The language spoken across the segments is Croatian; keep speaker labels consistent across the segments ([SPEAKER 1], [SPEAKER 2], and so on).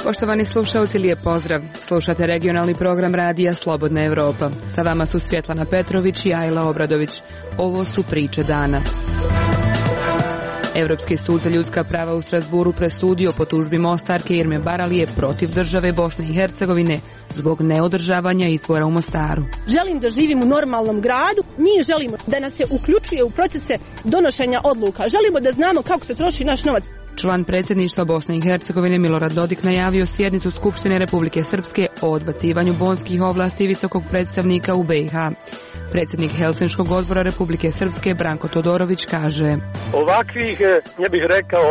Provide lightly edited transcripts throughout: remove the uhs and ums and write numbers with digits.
[SPEAKER 1] Poštovani slušalci, lijep pozdrav. Slušate regionalni program radija Slobodna Evropa. Sa vama su Svjetlana Petrović i Ajla Obradović. Ovo su priče dana. Europski sud za ljudska prava u Strasburu presudio po tužbi Mostarke Irme Baralije protiv države Bosne i Hercegovine zbog neodržavanja izbora u Mostaru.
[SPEAKER 2] Želim da živim u normalnom gradu. Mi želimo da nas se uključuje u procese donošenja odluka. Želimo da znamo kako se troši naš novac.
[SPEAKER 1] Član predsjedništva Bosne i Hercegovine Milorad Dodik najavio sjednicu Skupštine Republike Srpske o odbacivanju bonskih ovlasti visokog predstavnika u BiH. Predsjednik Helsinškog odbora Republike Srpske Branko Todorović kaže:
[SPEAKER 3] ovakvih, ja bih rekao,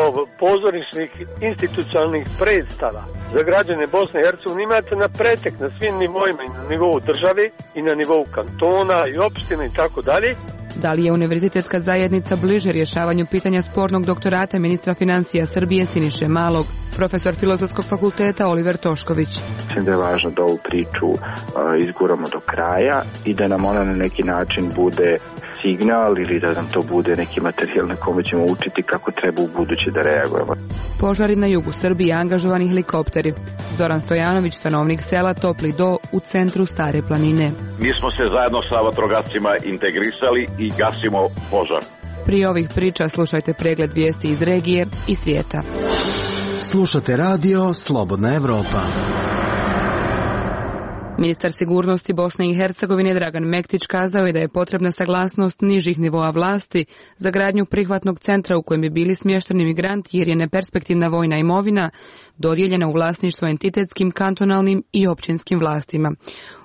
[SPEAKER 3] pozorišnih institucionalnih predstava za građane Bosne i Hercegovine imate na pretek na svim nivoima, i na nivou države i na nivou kantona i opština i tako dalje.
[SPEAKER 1] Da li je univerzitetska zajednica bliže rješavanju pitanja spornog doktorata ministra financija Srbije Siniše Malog? Profesor Filozofskog fakulteta Oliver Tošković.
[SPEAKER 4] Mislim da je važno da ovu priču izguramo do kraja i da nam ona na neki način bude signal ili da nam to bude neki materijal na kome ćemo učiti kako treba u buduće da reagujemo.
[SPEAKER 1] Požari na jugu Srbije, angažovani helikopteri. Zoran Stojanović, stanovnik sela Topli Do u centru Stare planine.
[SPEAKER 5] Mi smo se zajedno sa vatrogascima integrisali i gasimo požar.
[SPEAKER 1] Prije ovih priča slušajte pregled vijesti iz regije i svijeta.
[SPEAKER 6] Slušate radio Slobodna Evropa.
[SPEAKER 1] Ministar sigurnosti Bosne i Hercegovine Dragan Mektić kazao je da je potrebna saglasnost nižih nivoa vlasti za gradnju prihvatnog centra u kojem bi bili smješteni migranti jer je neperspektivna vojna imovina dodijeljena u vlasništvo entitetskim, kantonalnim i općinskim vlastima.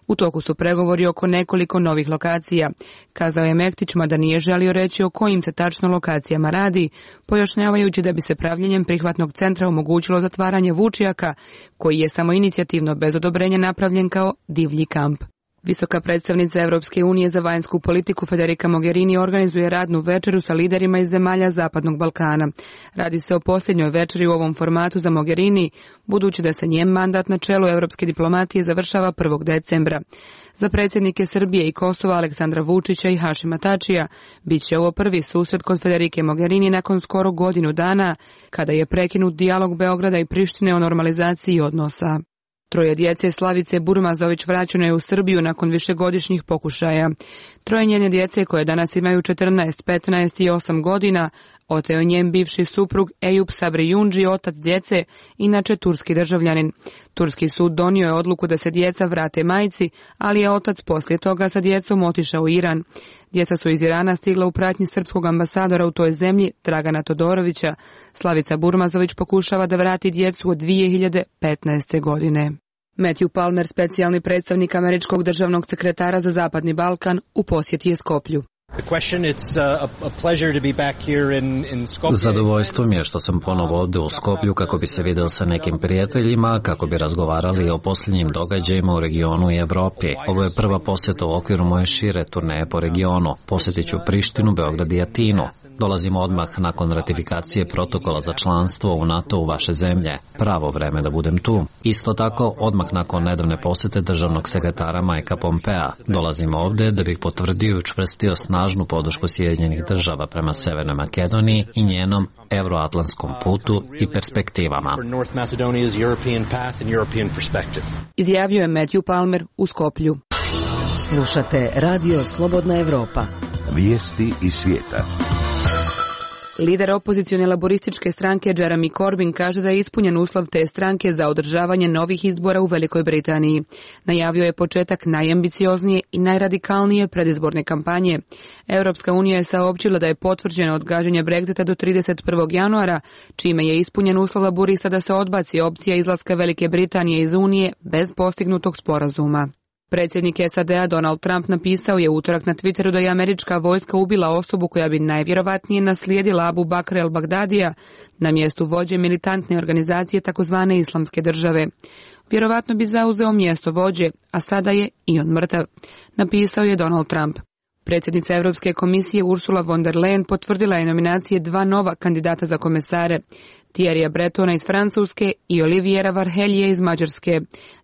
[SPEAKER 1] U toku su pregovori oko nekoliko novih lokacija. Kazao je Mektić, mada nije želio reći o kojim se tačno lokacijama radi, pojašnjavajući da bi se pravljenjem prihvatnog centra omogućilo zatvaranje Vučjaka, koji je samoinicijativno bez odobrenja napravljen kao divlji kamp. Visoka predstavnica Europske unije za vanjsku politiku Federica Mogherini organizuje radnu večeru sa liderima iz zemalja Zapadnog Balkana. Radi se o posljednjoj večeri u ovom formatu za Mogherini, budući da se njen mandat na čelu europske diplomatije završava 1. decembra. Za predsjednike Srbije i Kosova Aleksandra Vučića i Hašima Tačija bit će ovo prvi susret kod Federike Mogherini nakon skoro godinu dana, kada je prekinut dijalog Beograda i Prištine o normalizaciji odnosa. Troje djece Slavice Burmazović vraćeno je u Srbiju nakon višegodišnjih pokušaja. Troje njene djece, koje danas imaju 14, 15 i 8 godina, oteo njen bivši suprug Eyüp Sabri Yunji, otac djece, inače turski državljanin. Turski sud donio je odluku da se djeca vrate majci, ali je otac poslije toga sa djecom otišao u Iran. Djeca su iz Irana stigla u pratnji srpskog ambasadora u toj zemlji, Dragana Todorovića. Slavica Burmazović pokušava da vrati djecu od 2015. godine. Matthew Palmer, specijalni predstavnik američkog državnog sekretara za Zapadni Balkan, u posjeti je Skoplju.
[SPEAKER 7] Zadovoljstvo mi je što sam ponovo ovdje u Skoplju kako bi se video sa nekim prijateljima, kako bi razgovarali o posljednjim događajima u regionu i Evropi. Ovo je prva posjeta u okviru moje šire turneje po regionu. Posjetit ću Prištinu, Beograd i Atinu. Dolazimo odmah nakon ratifikacije protokola za članstvo u NATO u vaše zemlje. Pravo vreme da budem tu. Isto tako, odmah nakon nedavne posjete državnog sekretara Mikea Pompea. Dolazimo ovdje da bih potvrdio i učvrstio snažnu podršku Sjedinjenih država prema Severnoj Makedoniji i njenom euroatlantskom putu i perspektivama.
[SPEAKER 1] Izjavio je Matthew Palmer u Skoplju.
[SPEAKER 8] Slušate radio Slobodna Evropa.
[SPEAKER 6] Vijesti iz svijeta.
[SPEAKER 1] Lider opozicione laborističke stranke Jeremy Corbyn kaže da je ispunjen uslov te stranke za održavanje novih izbora u Velikoj Britaniji. Najavio je početak najambicioznije i najradikalnije predizborne kampanje. Europska unija je saopćila da je potvrđeno odgađanje Brexita do 31. januara, čime je ispunjen uslov laborista da se odbaci opcija izlaska Velike Britanije iz Unije bez postignutog sporazuma. Predsjednik SAD-a Donald Trump napisao je utorak na Twitteru da je američka vojska ubila osobu koja bi najvjerovatnije naslijedila Abu Bakr el-Bagdadija na mjestu vođe militantne organizacije takozvane Islamske države. Vjerovatno bi zauzeo mjesto vođe, a sada je i on mrtav, napisao je Donald Trump. Predsjednica Europske komisije Ursula von der Leyen potvrdila je nominacije 2 nova kandidata za komesare, Thierrya Bretona iz Francuske i Oliviera Varhelije iz Mađarske.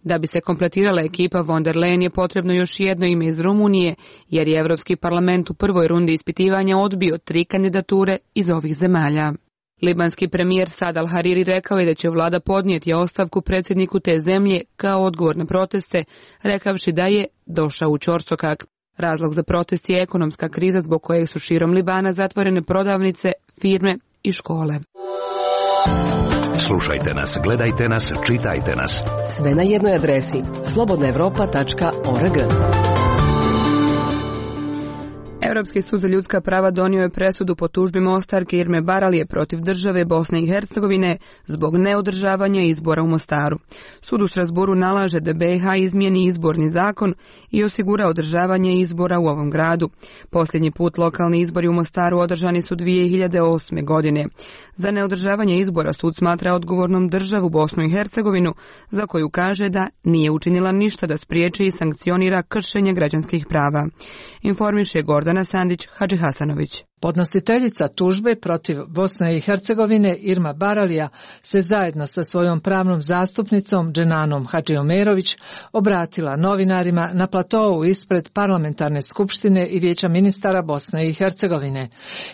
[SPEAKER 1] Da bi se kompletirala ekipa von der Leyen je potrebno još jedno ime iz Rumunije, jer je Europski parlament u prvoj rundi ispitivanja odbio 3 kandidature iz ovih zemalja. Libanski premijer Saad al-Hariri rekao je da će vlada podnijeti ostavku predsjedniku te zemlje kao odgovor na proteste, rekavši da je došao u ćorsokak. Razlog za protest je ekonomska kriza zbog koje su širom Libana zatvorene prodavnice, firme i škole.
[SPEAKER 6] Slušajte nas, gledajte nas, čitajte nas.
[SPEAKER 8] Sve na jednoj adresi slobodnaevropa.org.
[SPEAKER 1] Europski sud za ljudska prava donio je presudu po tužbi Mostarke Irme Baralije protiv države Bosne i Hercegovine zbog neodržavanja izbora u Mostaru. Sud u Strasburu nalaže da BiH izmijeni izborni zakon i osigura održavanje izbora u ovom gradu. Posljednji put lokalni izbori u Mostaru održani su 2008. godine. Za neodržavanje izbora sud smatra odgovornom državu Bosnu i Hercegovinu, za koju kaže da nije učinila ništa da spriječi i sankcionira kršenje građanskih prava. Informiše Gordana Sandić Hadžihasanović.
[SPEAKER 9] Podnositeljica tužbe protiv Bosne i Hercegovine Irma Baralija se zajedno sa svojom pravnom zastupnicom Dženanom Hadžiomerović obratila novinarima na platou ispred Parlamentarne skupštine i Vijeća ministara Bosne i Hercegovine.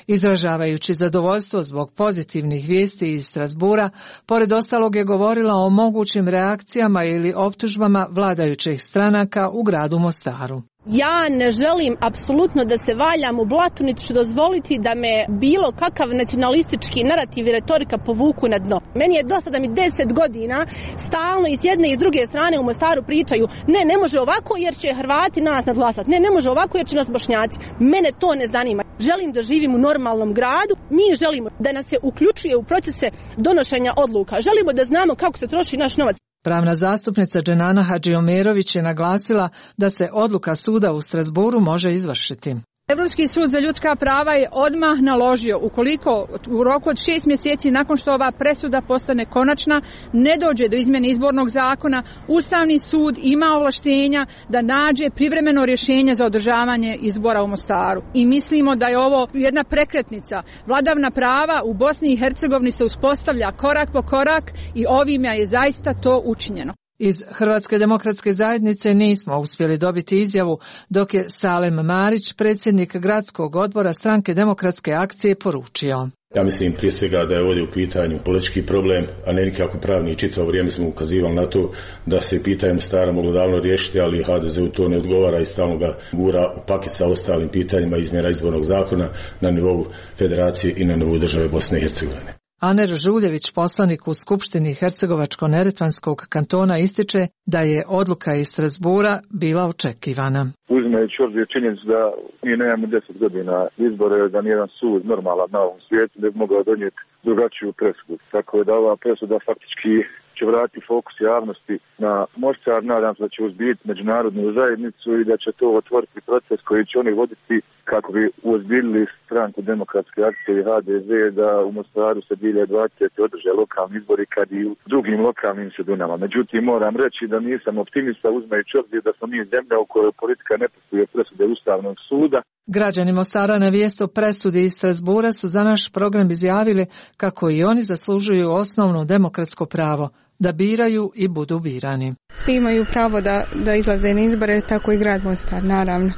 [SPEAKER 9] Izražavajući zadovoljstvo zbog pozitivnih vijesti iz Strasbura, pored ostalog je govorila o mogućim reakcijama ili optužbama vladajućih stranaka u gradu Mostaru.
[SPEAKER 2] Ja ne želim apsolutno da se valjam u blatu, niti ću dozvoliti da me bilo kakav nacionalistički narativ i retorika povuku na dno. Meni je dosta da mi 10 godina stalno i s jedne i s druge strane u Mostaru pričaju ne može ovako jer će Hrvati nas nadglasati, ne može ovako jer će nas Bošnjaci. Mene to ne zanima. Želim da živim u normalnom gradu, mi želimo da nas se uključuje u procese donošenja odluka, želimo da znamo kako se troši naš novac.
[SPEAKER 9] Pravna zastupnica Dženana Hadžiomerović je naglasila da se odluka suda u Strasburu može izvršiti.
[SPEAKER 10] Europski sud za ljudska prava je odmah naložio, ukoliko u roku od 6 mjeseci nakon što ova presuda postane konačna, ne dođe do izmjene izbornog zakona, Ustavni sud ima ovlaštenja da nađe privremeno rješenje za održavanje izbora u Mostaru. I mislimo da je ovo jedna prekretnica. Vladavna prava u Bosni i Hercegovini se uspostavlja korak po korak i ovime je zaista to učinjeno.
[SPEAKER 9] Iz Hrvatske demokratske zajednice nismo uspjeli dobiti izjavu, dok je Salem Marić, predsjednik gradskog odbora Stranke demokratske akcije, poručio.
[SPEAKER 11] Ja mislim prije svega da je ovdje u pitanju politički problem, a ne nikako pravni. Čitavo vrijeme smo ukazivali na to da se pitanje Mostara moglo davno riješiti, ali HDZ-u to ne odgovara i stalno ga gura u paket sa ostalim pitanjima izmjena izbornog zakona na nivou federacije i na nivou države Bosne i Hercegovine.
[SPEAKER 9] Aner Žuljević, poslanik u Skupštini Hercegovačko-neretvanskog kantona, ističe da je odluka iz Strasbura bila očekivana.
[SPEAKER 12] Uzimajući obzir činjenicu da mi nemamo 10 godina izbore, da nijedan sud normalan na ovom svijetu ne bi mogao donijeti drugačiju presudu. Tako da ova presuda faktički će vratiti fokus javnosti na Mostar. Nadam se da će uzbiti međunarodnu zajednicu i da će to otvoriti proces koji će oni voditi kako bi uozbiljili Stranku demokratske akcije i HDZ da u Mostaru se 2020. održe lokalni izbori kad i u drugim lokalnim sredinama. Međutim, moram reći da nisam optimista uzimajući obzir da smo mi zemlja u kojoj politika ne poštuje presude Ustavnog suda.
[SPEAKER 9] Građani Mostara na vijest o presudi iz Strasbura su za naš program izjavili kako i oni zaslužuju osnovno demokratsko pravo da biraju i budu birani.
[SPEAKER 13] Svi imaju pravo da izlaze na izbore, tako i grad Mostar, naravno.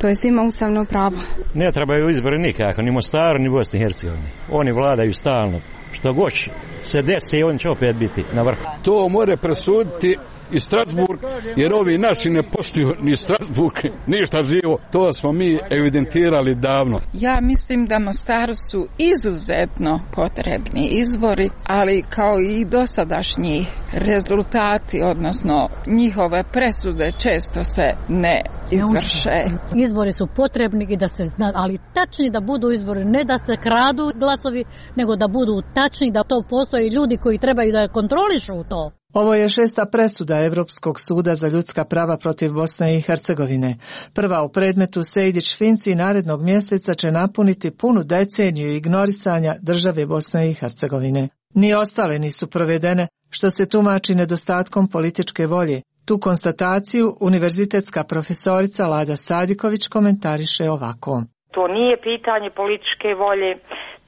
[SPEAKER 13] To je svima ustavno pravo.
[SPEAKER 14] Ne trebaju izbori nikako, ni Mostaru, ni Bosni i Hercegovini. Oni vladaju stalno. Što god se desi, on će opet biti na vrhu.
[SPEAKER 15] To more presuditi i Strasburg, jer ovi naši ne poštuju ni Strasburg, ništa živo. To smo mi evidentirali davno.
[SPEAKER 16] Ja mislim da Mostaru su izuzetno potrebni izbori, ali kao i dosadašnji rezultati, odnosno njihove presude često se ne izvrše.
[SPEAKER 17] Izbori su potrebni i da se zna, ali tačni da budu izbori, ne da se kradu glasovi, nego da budu tačni, da to postoji ljudi koji trebaju da kontrolišu to.
[SPEAKER 9] Ovo je 6. presuda Europskog suda za ljudska prava protiv Bosne i Hercegovine. Prva u predmetu Sejdić-Finci narednog mjeseca će napuniti punu deceniju ignorisanja države Bosne i Hercegovine. Ni ostale nisu provedene, što se tumači nedostatkom političke volje, Tu konstataciju univerzitetska profesorica Lada Sadiković komentariše ovako.
[SPEAKER 18] To nije pitanje političke volje,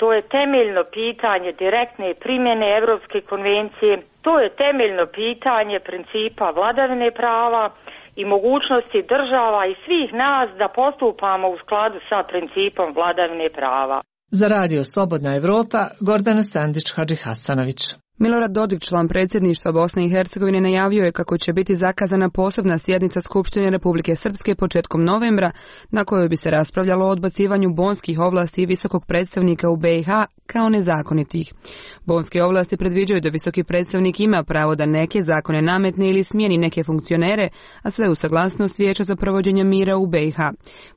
[SPEAKER 18] to je temeljno pitanje direktne primjene Europske konvencije, to je temeljno pitanje principa vladavine prava i mogućnosti država i svih nas da postupamo u skladu sa principom vladavine prava.
[SPEAKER 9] Za Radio Slobodna Evropa, Gordana Sandić-Hadžihasanović.
[SPEAKER 1] Milorad Dodik, član predsjedništva Bosne i Hercegovine, najavio je kako će biti zakazana posebna sjednica Skupštine Republike Srpske početkom novembra, na kojoj bi se raspravljalo o odbacivanju bonskih ovlasti visokog predstavnika u BiH kao nezakonitih. Bonske ovlasti predviđaju da visoki predstavnik ima pravo da neke zakone nametne ili smijeni neke funkcionere, a sve u saglasnost Vijeća za provođenje mira u BiH.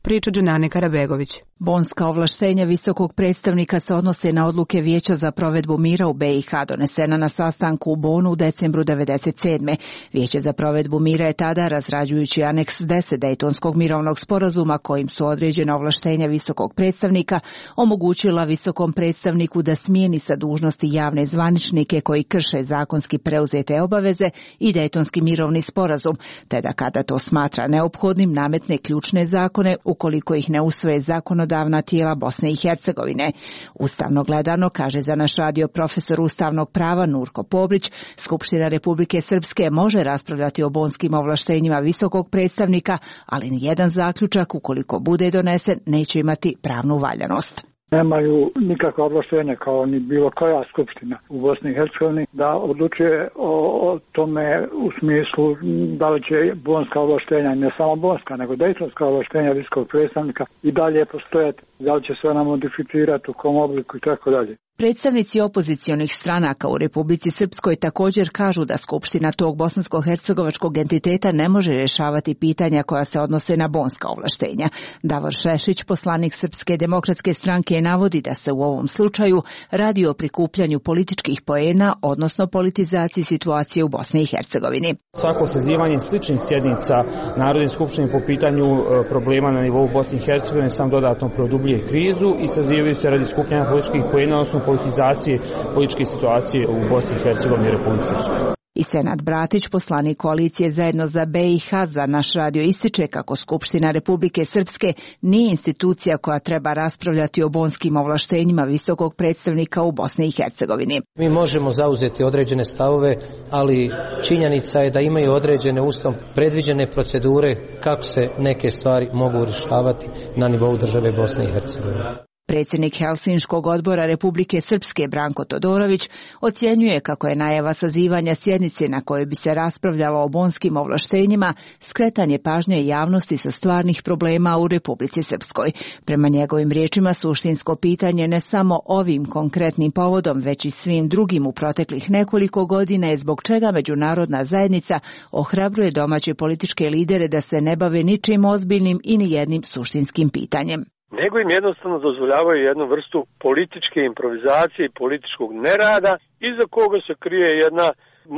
[SPEAKER 1] Priča Dženane Karabegović.
[SPEAKER 19] Bonska ovlaštenja visokog predstavnika se odnose na odluke Vijeća za provedbu mira u BiH donesena na sastanku u Bonu u decembru 1997. Vijeće za provedbu mira je tada, razrađujući aneks 10 Dejtonskog mirovnog sporazuma kojim su određena ovlaštenja visokog predstavnika, omogućila visokom predstavniku da smijeni sa dužnosti javne zvaničnike koji krše zakonski preuzete obaveze i Dejtonski mirovni sporazum, te da kada to smatra neophodnim nametne ključne zakone ukoliko ih ne usvoje zakonodavna tijela Bosne i Hercegovine. Ustavno gledano, kaže za naš radio profesor ustavnog prava Nurko Pobrić, Skupština Republike Srpske može raspravljati o bonskim ovlaštenjima visokog predstavnika, ali nijedan zaključak, ukoliko bude donesen, neće imati pravnu valjanost.
[SPEAKER 20] Nemaju nikakva ovlaštenja kao ni bilo koja skupština u Bosni i Hercegovini da odlučuje o tome u smislu da li će bonska ovlaštenja, ne samo bonska, nego dejtonska ovlaštenja visokog predstavnika i dalje postojati, da li će se ona modificirati, u kom obliku i tako dalje.
[SPEAKER 19] Predstavnici opozicionih stranaka u Republici Srpskoj također kažu da skupština tog bosansko-hercegovačkog entiteta ne može rješavati pitanja koja se odnose na bonska ovlaštenja. Davor Šešić, poslanik Srpske demokratske stranke, navodi da se u ovom slučaju radi o prikupljanju političkih poena, odnosno politizaciji situacije u Bosni i Hercegovini.
[SPEAKER 21] Svako sazivanje sličnih sjednica Narodne skupštine po pitanju problema na nivou Bosne i Hercegovine sam dodatno produbljuje krizu i sazivaju se radi skupljanja političkih poena, odnosno politizacije političke situacije u Bosni i Hercegovini i Republici Srpskoj.
[SPEAKER 19] I Senad Bratić, poslanik koalicije Zajedno za BiH, za naš radio ističe kako Skupština Republike Srpske nije institucija koja treba raspravljati o bonskim ovlaštenjima visokog predstavnika u Bosni i Hercegovini.
[SPEAKER 22] Mi možemo zauzeti određene stavove, ali činjenica je da imaju određene ustavom predviđene procedure kako se neke stvari mogu rješavati na nivou države Bosne i Hercegovine.
[SPEAKER 19] Predsjednik Helsinškog odbora Republike Srpske Branko Todorović ocjenjuje kako je najava sazivanja sjednice na kojoj bi se raspravljalo o bonskim ovlaštenjima skretanje pažnje javnosti sa stvarnih problema u Republici Srpskoj. Prema njegovim riječima suštinsko pitanje ne samo ovim konkretnim povodom, već i svim drugim u proteklih nekoliko godina je zbog čega međunarodna zajednica ohrabruje domaće političke lidere da se ne bave ničim ozbiljnim i nijednim suštinskim pitanjem.
[SPEAKER 3] Nego im jednostavno dozvoljavaju jednu vrstu političke improvizacije i političkog nerada, iza koga se krije jedna,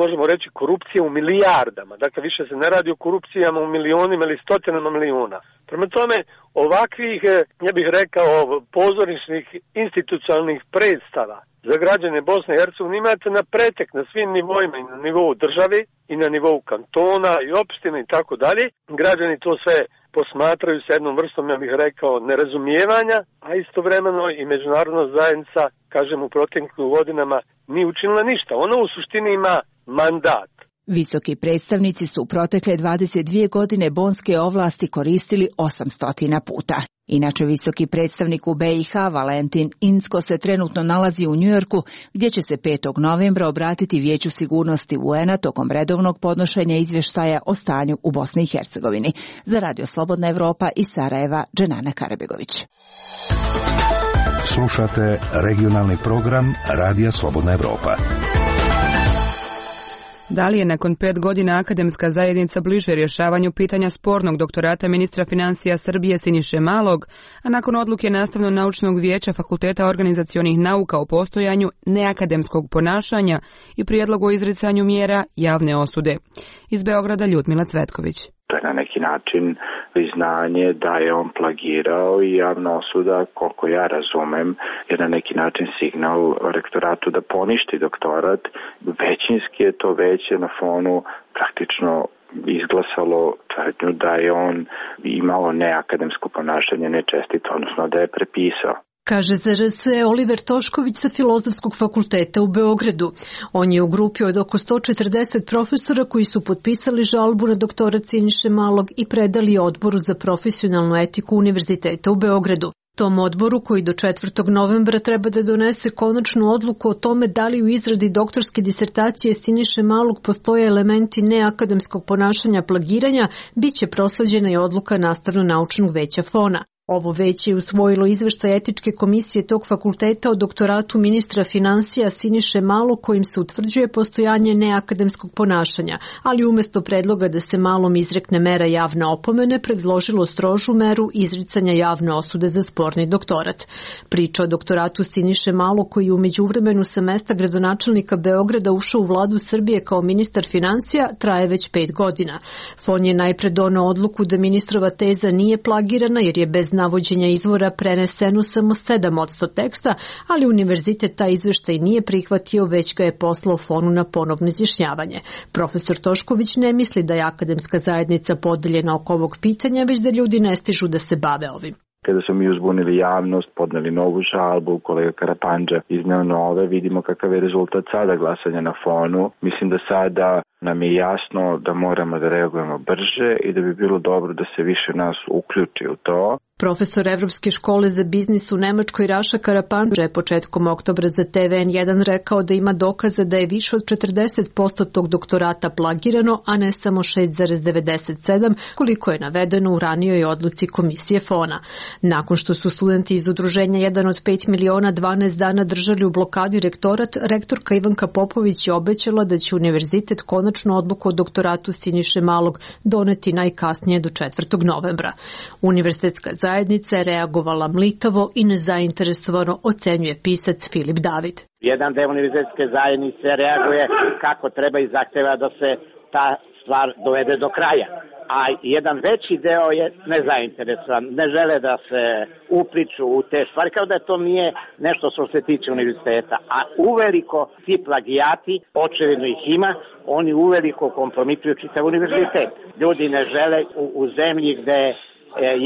[SPEAKER 3] možemo reći, korupcija u milijardama. Dakle, više se ne radi o korupcijama u milionima ili stotinama milijuna. Prema tome, ovakvih, ja bih rekao, pozorišnih institucionalnih predstava za građane Bosne i Hercegovine imate na pretek na svim nivoima, i na nivou države, i na nivou kantona, i opštine i tako dalje. Građani to sve posmatraju sa jednom vrstom, ja bih rekao, nerazumijevanja, a istovremeno i međunarodna zajednica, kažem, u proteklim godinama nije učinila ništa. Ona u suštini ima mandat.
[SPEAKER 19] Visoki predstavnici su u protekle 22 godine bonske ovlasti koristili 800 puta. Inače, visoki predstavnik u BiH Valentin Incko se trenutno nalazi u Njujorku, gdje će se 5. novembra obratiti Vijeću sigurnosti UN-a tokom redovnog podnošenja izvještaja o stanju u Bosni i Hercegovini. Za Radio Slobodna Evropa iz Sarajeva, Dženana Karabegović.
[SPEAKER 6] Slušate regionalni program Radija Slobodna Evropa.
[SPEAKER 1] Da li je nakon 5 godina akademska zajednica bliže rješavanju pitanja spornog doktorata ministra financija Srbije Siniše Malog, a nakon odluke Nastavno-naučnog vijeća Fakulteta organizacionih nauka o postojanju neakademskog ponašanja i prijedlogu o izricanju mjera javne osude? Iz Beograda Ljudmila Cvetković.
[SPEAKER 4] To je na neki način priznanje da je on plagirao i javna osuda, koliko ja razumem, je na neki način signal rektoratu da poništi doktorat. Većinski je to veće na fonu praktično izglasalo tvrdnju da je on imao neakademsko ponašanje, nečestito, odnosno da je prepisao.
[SPEAKER 5] Kaže za RS Oliver Tošković sa Filozofskog fakulteta u Beogradu. On je u grupi od oko 140 profesora koji su potpisali žalbu na doktorat Siniše Malog i predali odboru za profesionalnu etiku Univerziteta u Beogradu. Tom odboru, koji do 4. novembra treba da donese konačnu odluku o tome da li u izradi doktorske disertacije Siniše Malog postoje elementi neakademskog ponašanja plagiranja, bit će prosleđena i odluka Nastavno-naučnog veća FON-a. Ovo veće je usvojilo izveštaj etičke komisije tog fakulteta o doktoratu ministra finansija Siniše Malog kojim se utvrđuje postojanje neakademskog ponašanja, ali umjesto predloga da se Malom izrekne mera javne opomene, predložilo strožu meru izricanja javne osude za sporni doktorat. Priča o doktoratu Siniše Malog, koji je u međuvremenu sa mesta gradonačelnika Beograda ušao u vladu Srbije kao ministar finansija, traje već 5 godina. FON je najpre doneo odluku da ministrova teza nije plagirana jer je bez navođenja izvora preneseno samo 7% teksta, ali univerzitet taj izveštaj nije prihvatio, već ga je poslao FON-u na ponovno izjašnjavanje. Profesor Tošković ne misli da je akademska zajednica podeljena oko ovog pitanja, već da ljudi ne stižu da se bave ovim.
[SPEAKER 4] Kada smo mi uzbunili javnost, podneli novu žalbu, kolega Karapandža izneo nove, vidimo kakav je rezultat sada glasanja na FON-u. Mislim da sada nam je jasno da moramo da reagujemo brže i da bi bilo dobro da se više nas uključi u to.
[SPEAKER 5] Profesor Evropske škole za biznis u Nemačkoj Raša Karapandža je početkom oktobra za TVN1 rekao da ima dokaza da je više od 40% tog doktorata plagirano, a ne samo 6,97 koliko je navedeno u ranijoj odluci komisije FON-a. Nakon što su studenti iz udruženja 1 od 5 miliona 12 dana držali u blokadi rektorat, rektorka Ivanka Popović je obećala da će univerzitet konačnu odluku o doktoratu Siniše Malog doneti najkasnije do 4. novembra. Univerzitetska zajednica je reagovala mlitavo i nezainteresovano, ocenjuje pisac Filip David.
[SPEAKER 7] Jedan deo univerzitetske zajednice reaguje kako treba i zahteva da se ta stvar dovede do kraja. A jedan veći deo je nezainteresovan, ne žele da se upliču u te stvari, kao da to nije nešto što se tiče univerziteta. A uveliko ti plagijati, očevidno ih ima, oni uveliko kompromituju čitav univerzitet. Ljudi ne žele u zemlji gde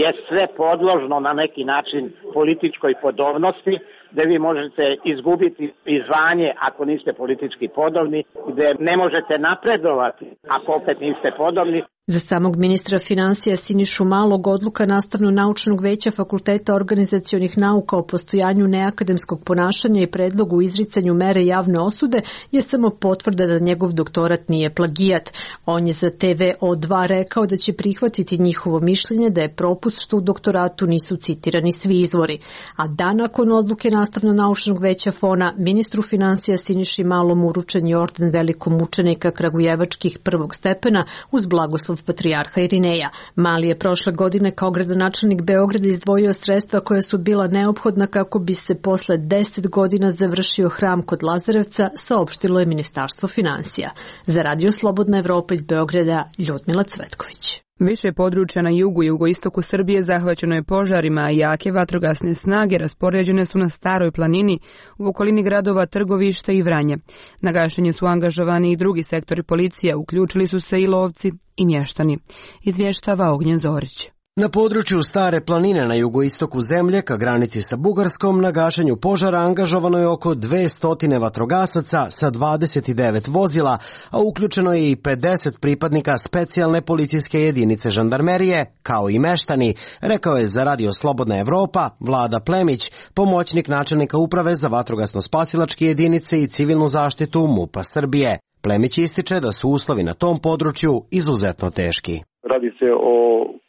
[SPEAKER 7] je sve podložno na neki način političkoj podobnosti, gde vi možete izgubiti i zvanje ako niste politički podobni, gde ne možete napredovati ako opet niste podobni.
[SPEAKER 5] Za samog ministra finansija Sinišu Malog odluka Nastavno-naučnog veća Fakulteta organizacionih nauka o postojanju neakademskog ponašanja i predlogu u izricanju mere javne osude je samo potvrda da njegov doktorat nije plagijat. On je za TVO2 rekao da će prihvatiti njihovo mišljenje da je propust što u doktoratu nisu citirani svi izvori. A dan nakon odluke Nastavno-naučnog veća FON-a, ministru finansija Siniši Malom uručen je orden velikog mučenika kragujevačkih prvog stepena uz blagoslov patrijarha Irineja. Mali je prošle godine kao gradonačelnik Beograda izdvojio sredstva koja su bila neophodna kako bi se posle 10 godina završio hram kod Lazarevca, saopštilo je Ministarstvo finansija. Za Radio Slobodna Evropa iz Beograda, Ljudmila Cvetković.
[SPEAKER 1] Više područja na jugu i jugoistoku Srbije zahvaćeno je požarima, a jake vatrogasne snage raspoređene su na Staroj planini u okolini gradova Trgovište i Vranje. Na gašenje su angažovani i drugi sektori policije, uključili su se i lovci i mještani. Izvještava Ognjen Zorić.
[SPEAKER 23] Na području Stare planine na jugoistoku zemlje, ka granici sa Bugarskom, na gašenju požara angažovano je oko 200 vatrogasaca sa 29 vozila, a uključeno je i 50 pripadnika specijalne policijske jedinice žandarmerije, kao i meštani, rekao je za Radio Slobodna Evropa Vlada Plemić, pomoćnik načelnika uprave za vatrogasno-spasilačke jedinice i civilnu zaštitu MUP-a Srbije. Plemić ističe da su uslovi na tom području izuzetno teški.
[SPEAKER 12] Radi se o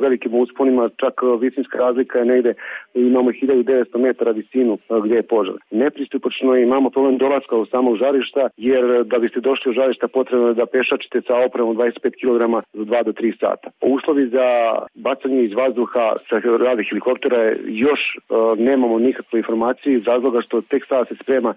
[SPEAKER 12] velikim usponima, čak visinska razlika je negde, imamo 1900 metara visinu gdje je požar. Nepristupačno je, imamo problem dolaska u samog žarišta, jer da biste došli u žarišta potrebno je da pešačite sa opremom 25 kg za 2 do 3 sata. Uslovi za bacanje iz vazduha sa radi helikoptera još nemamo nikakve informacije iz razloga što tek sada se sprema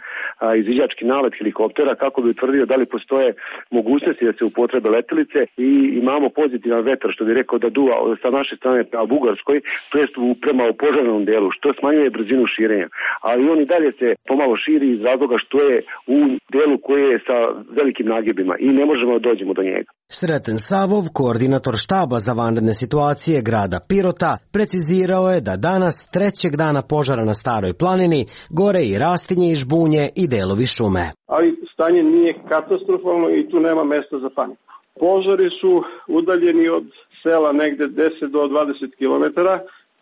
[SPEAKER 12] izviđački nalet helikoptera kako bi utvrdio da li postoje mogućnosti da se upotrebe letelice i imamo pozitivan vetar
[SPEAKER 2] vetar, što bi rekao, da duva sa naše strane prema Bugarskoj, to jest prema opožarnom delu, što smanjuje brzinu širenja. Ali on i dalje se pomalo širi iz razloga što je u delu koji je sa velikim nagibima i ne možemo da dođemo do njega.
[SPEAKER 23] Sreten Savov, koordinator štaba za vanredne situacije grada Pirota, precizirao je da danas, trećeg dana požara na Staroj planini, gore i rastinje i žbunje i delovi šume.
[SPEAKER 8] Ali stanje nije katastrofalno i tu nema mesta za paniku. Požari su udaljeni od sela negde 10 do 20 km,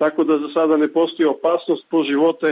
[SPEAKER 8] tako da za sada ne postoji opasnost po živote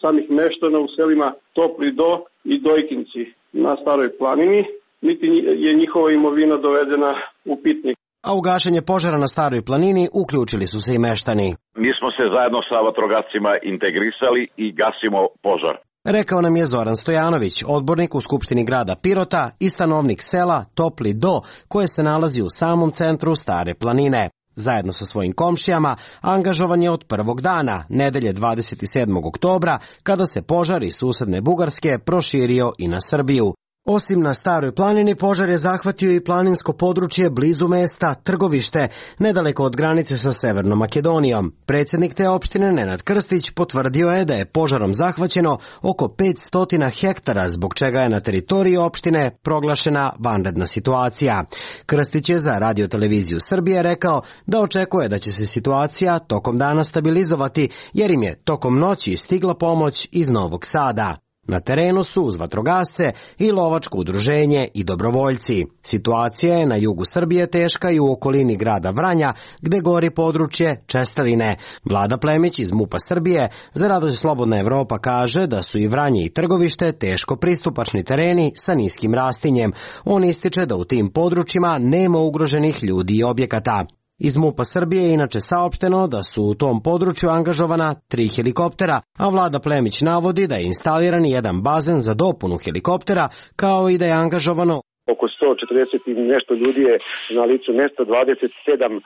[SPEAKER 8] samih meštana u selima Topli Do i Dojkinci na Staroj planini, niti je njihova imovina dovedena u pitnik.
[SPEAKER 23] A u gašenje požara na Staroj planini uključili su se i meštani.
[SPEAKER 10] Mi smo se zajedno sa vatrogascima integrisali i gasimo požar.
[SPEAKER 23] Rekao nam je Zoran Stojanović, odbornik u Skupštini grada Pirota i stanovnik sela Topli Do, koje se nalazi u samom centru Stare planine. Zajedno sa svojim komšijama angažovan je od prvog dana, nedelje 27. oktobra, kada se požar iz susedne Bugarske proširio i na Srbiju. Osim na Staroj planini, požar je zahvatio i planinsko područje blizu mesta Trgovište, nedaleko od granice sa Severnom Makedonijom. Predsjednik te opštine Nenad Krstić potvrdio je da je požarom zahvaćeno oko 500 hektara, zbog čega je na teritoriji opštine proglašena vanredna situacija. Krstić je za Radio-televiziju Srbije rekao da očekuje da će se situacija tokom dana stabilizovati, jer im je tokom noći stigla pomoć iz Novog Sada. Na terenu su uz vatrogasce i lovačko udruženje i dobrovoljci. Situacija je na jugu Srbije teška i u okolini grada Vranja, gde gori područje Česteline. Vlada Plemić iz MUP-a Srbije za Radio Slobodna Evropa kaže da su i Vranje i Trgovište teško pristupačni tereni sa niskim rastinjem. On ističe da u tim područjima nema ugroženih ljudi i objekata. Iz MUP-a Srbije je inače saopšteno da su u tom području angažovana 3 helikoptera, a Vlada Plemić navodi da je instaliran jedan bazen za dopunu helikoptera, kao i da je angažovano
[SPEAKER 2] oko 140 i nešto ljudi je na licu mesta, 27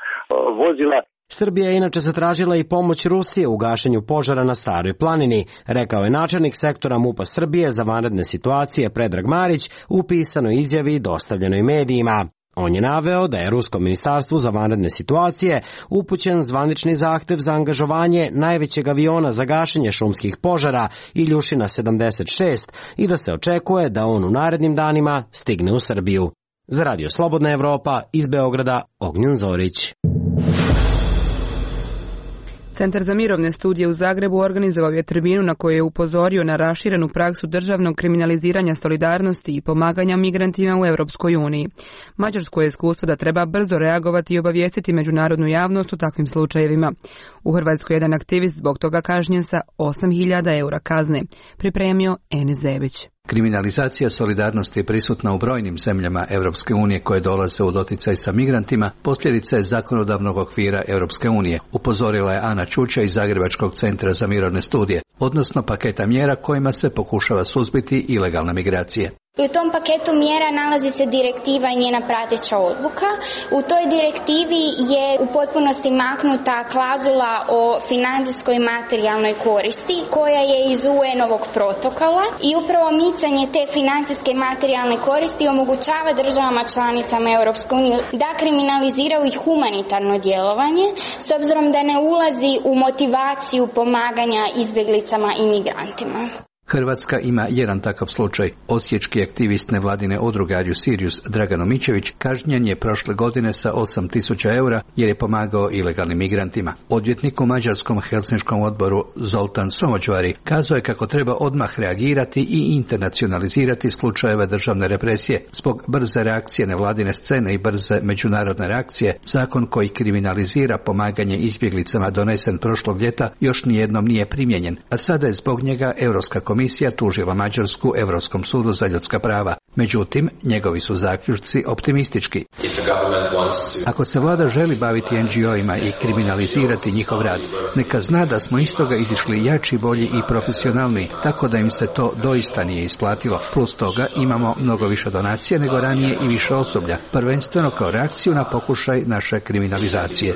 [SPEAKER 2] vozila.
[SPEAKER 23] Srbija je inače zatražila i pomoć Rusije u gašenju požara na Staroj planini, rekao je načelnik sektora MUP-a Srbije za vanredne situacije Predrag Marić u pisanoj izjavi dostavljenoj medijima. On je naveo da je Ruskom ministarstvu za vanredne situacije upućen zvanični zahtev za angažovanje najvećeg aviona za gašenje šumskih požara Iljušina 76 i da se očekuje da on u narednim danima stigne u Srbiju. Za Radio Slobodna Evropa iz Beograda, Ognjen Zorić.
[SPEAKER 1] Centar za mirovne studije u Zagrebu organizovao je tribinu na kojoj je upozorio na raširenu praksu državnog kriminaliziranja solidarnosti i pomaganja migrantima u Europskoj uniji. Mađarsko je iskustvo da treba brzo reagovati i obavijestiti međunarodnu javnost u takvim slučajevima. U Hrvatskoj je jedan aktivist zbog toga kažnjen sa 8.000 eura kazne, pripremio Enes Zebić.
[SPEAKER 24] Kriminalizacija solidarnosti je prisutna u brojnim zemljama Europske unije koje dolaze u doticaj sa migrantima, posljedica je zakonodavnog okvira Europske unije, upozorila je Ana Čuča iz Zagrebačkog centra za mirovne studije, odnosno paketa mjera kojima se pokušava suzbiti ilegalne migracije.
[SPEAKER 25] U tom paketu mjera nalazi se direktiva i njena prateća odluka. U toj direktivi je u potpunosti maknuta klauzula o financijskoj i materijalnoj koristi koja je iz UN-ovog protokola i upravo micanje te financijske i materijalne koristi omogućava državama članicama Europske unije da kriminaliziraju i humanitarno djelovanje s obzirom da ne ulazi u motivaciju pomaganja izbjeglicama i migrantima.
[SPEAKER 24] Hrvatska ima jedan takav slučaj. Osječki aktivist nevladine udruge Are You Serious Dragan Omićević kažnjen je prošle godine sa 8.000 eura jer je pomagao ilegalnim migrantima. Odvjetnik u Mađarskom Helsinškom odboru Zoltan Somođvari kazao je kako treba odmah reagirati i internacionalizirati slučajeve državne represije. Zbog brze reakcije nevladine scene i brze međunarodne reakcije, zakon koji kriminalizira pomaganje izbjeglicama donesen prošlog ljeta još nijednom nije primijenjen, a sada je zbog njega Europska komisija tužila Mađarsku Europskom sudu za ljudska prava. Međutim, njegovi su zaključci optimistički. Ako se vlada želi baviti NGO-ima i kriminalizirati njihov rad, neka zna da smo iz toga izišli jači, bolji i profesionalni, tako da im se to doista nije isplatilo. Plus toga imamo mnogo više donacija nego ranije i više osoblja, prvenstveno kao reakciju na pokušaj naše kriminalizacije.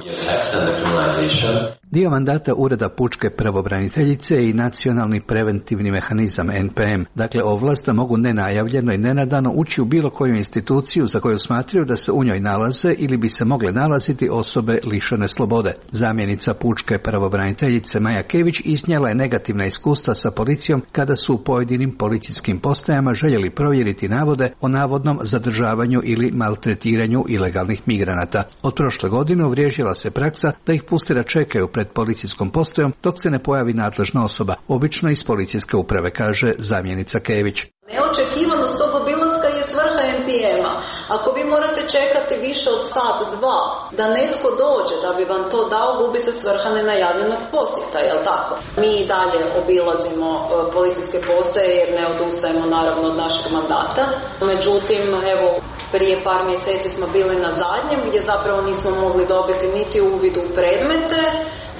[SPEAKER 24] Dio mandata Ureda pučke pravobraniteljice i nacionalni preventivni mehanizam NPM, dakle ovlast da mogu nenajavljeno i nenadano nenadano ući u bilo koju instituciju za koju smatraju da se u njoj nalaze ili bi se mogle nalaziti osobe lišene slobode. Zamjenica pučke pravobraniteljice Maja Kević iznijela je negativna iskustva sa policijom kada su u pojedinim policijskim postajama željeli provjeriti navode o navodnom zadržavanju ili maltretiranju ilegalnih migranata. Od prošle godine uvriježila se praksa da ih puste da čekaju pred policijskom postajom dok se ne pojavi nadležna osoba, obično iz policijske uprave, kaže zamjenica Kević.
[SPEAKER 11] Neočekivanost tog obilaska je svrha NPM-a. Ako vi morate čekati više od sat, dva, da netko dođe da bi vam to dao, gubi se svrha nenajavljenog posjeta, jel tako? Mi i dalje obilazimo policijske postaje jer ne odustajemo naravno od našeg mandata. Međutim, evo, prije par mjeseci smo bili na zadnjem gdje zapravo nismo mogli dobiti niti uvid u predmete,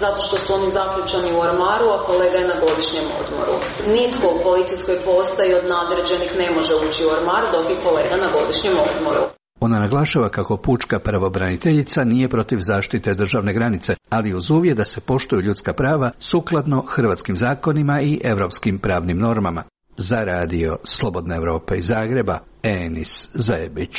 [SPEAKER 11] zato što su oni zaključani u ormaru, a kolega je na godišnjem odmoru. Nitko u policijskoj postaji od nadređenih ne može ući u ormar, dok je kolega na godišnjem odmoru.
[SPEAKER 24] Ona naglašava kako pučka pravobraniteljica nije protiv zaštite državne granice, ali uz uvjet da se poštuju ljudska prava sukladno hrvatskim zakonima i europskim pravnim normama. Za radio Slobodna Evropa iz Zagreba, Enis Zajebić.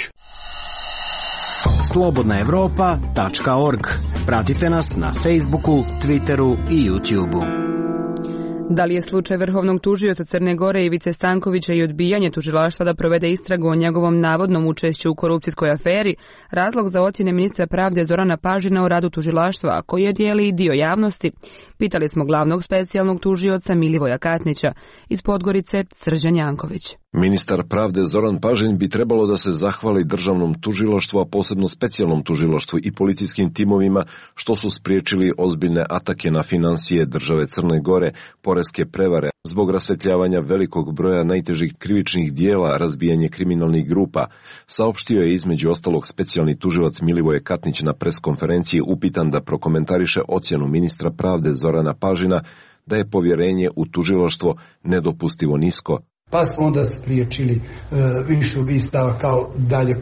[SPEAKER 23] slobodnaevropa.org. Pratite nas na Facebooku, Twitteru i YouTubeu.
[SPEAKER 1] Da li je slučaj vrhovnog tužioca Crne Gore Ivice Stankovića i odbijanje tužilaštva da provede istragu o njegovom navodnom učešću u korupcijskoj aferi razlog za ocjene ministra pravde Zorana Pažina o radu tužilaštva, a koji je dijeli i dio javnosti? Pitali smo glavnog specijalnog tužioca Milivoja Katnića, iz Podgorice Srđan Janković.
[SPEAKER 13] Ministar pravde Zoran Pažin bi trebalo da se zahvali državnom tužilaštvu, a posebno specijalnom tužilaštvu i policijskim timovima što su spriječili ozbiljne atake na finansije države Crne Gore, poreske prevare, zbog rasvetljavanja velikog broja najtežih krivičnih dijela, razbijanje kriminalnih grupa, saopštio je između ostalog specijalni tužilac Milivoje Katnić na preskonferenciji upitan da prokomentariše ocjenu ministra pravde Zorana Pažina da je povjerenje u tužilaštvo nedopustivo nisko.
[SPEAKER 14] Pa smo onda spriječili više ubistava kao dalje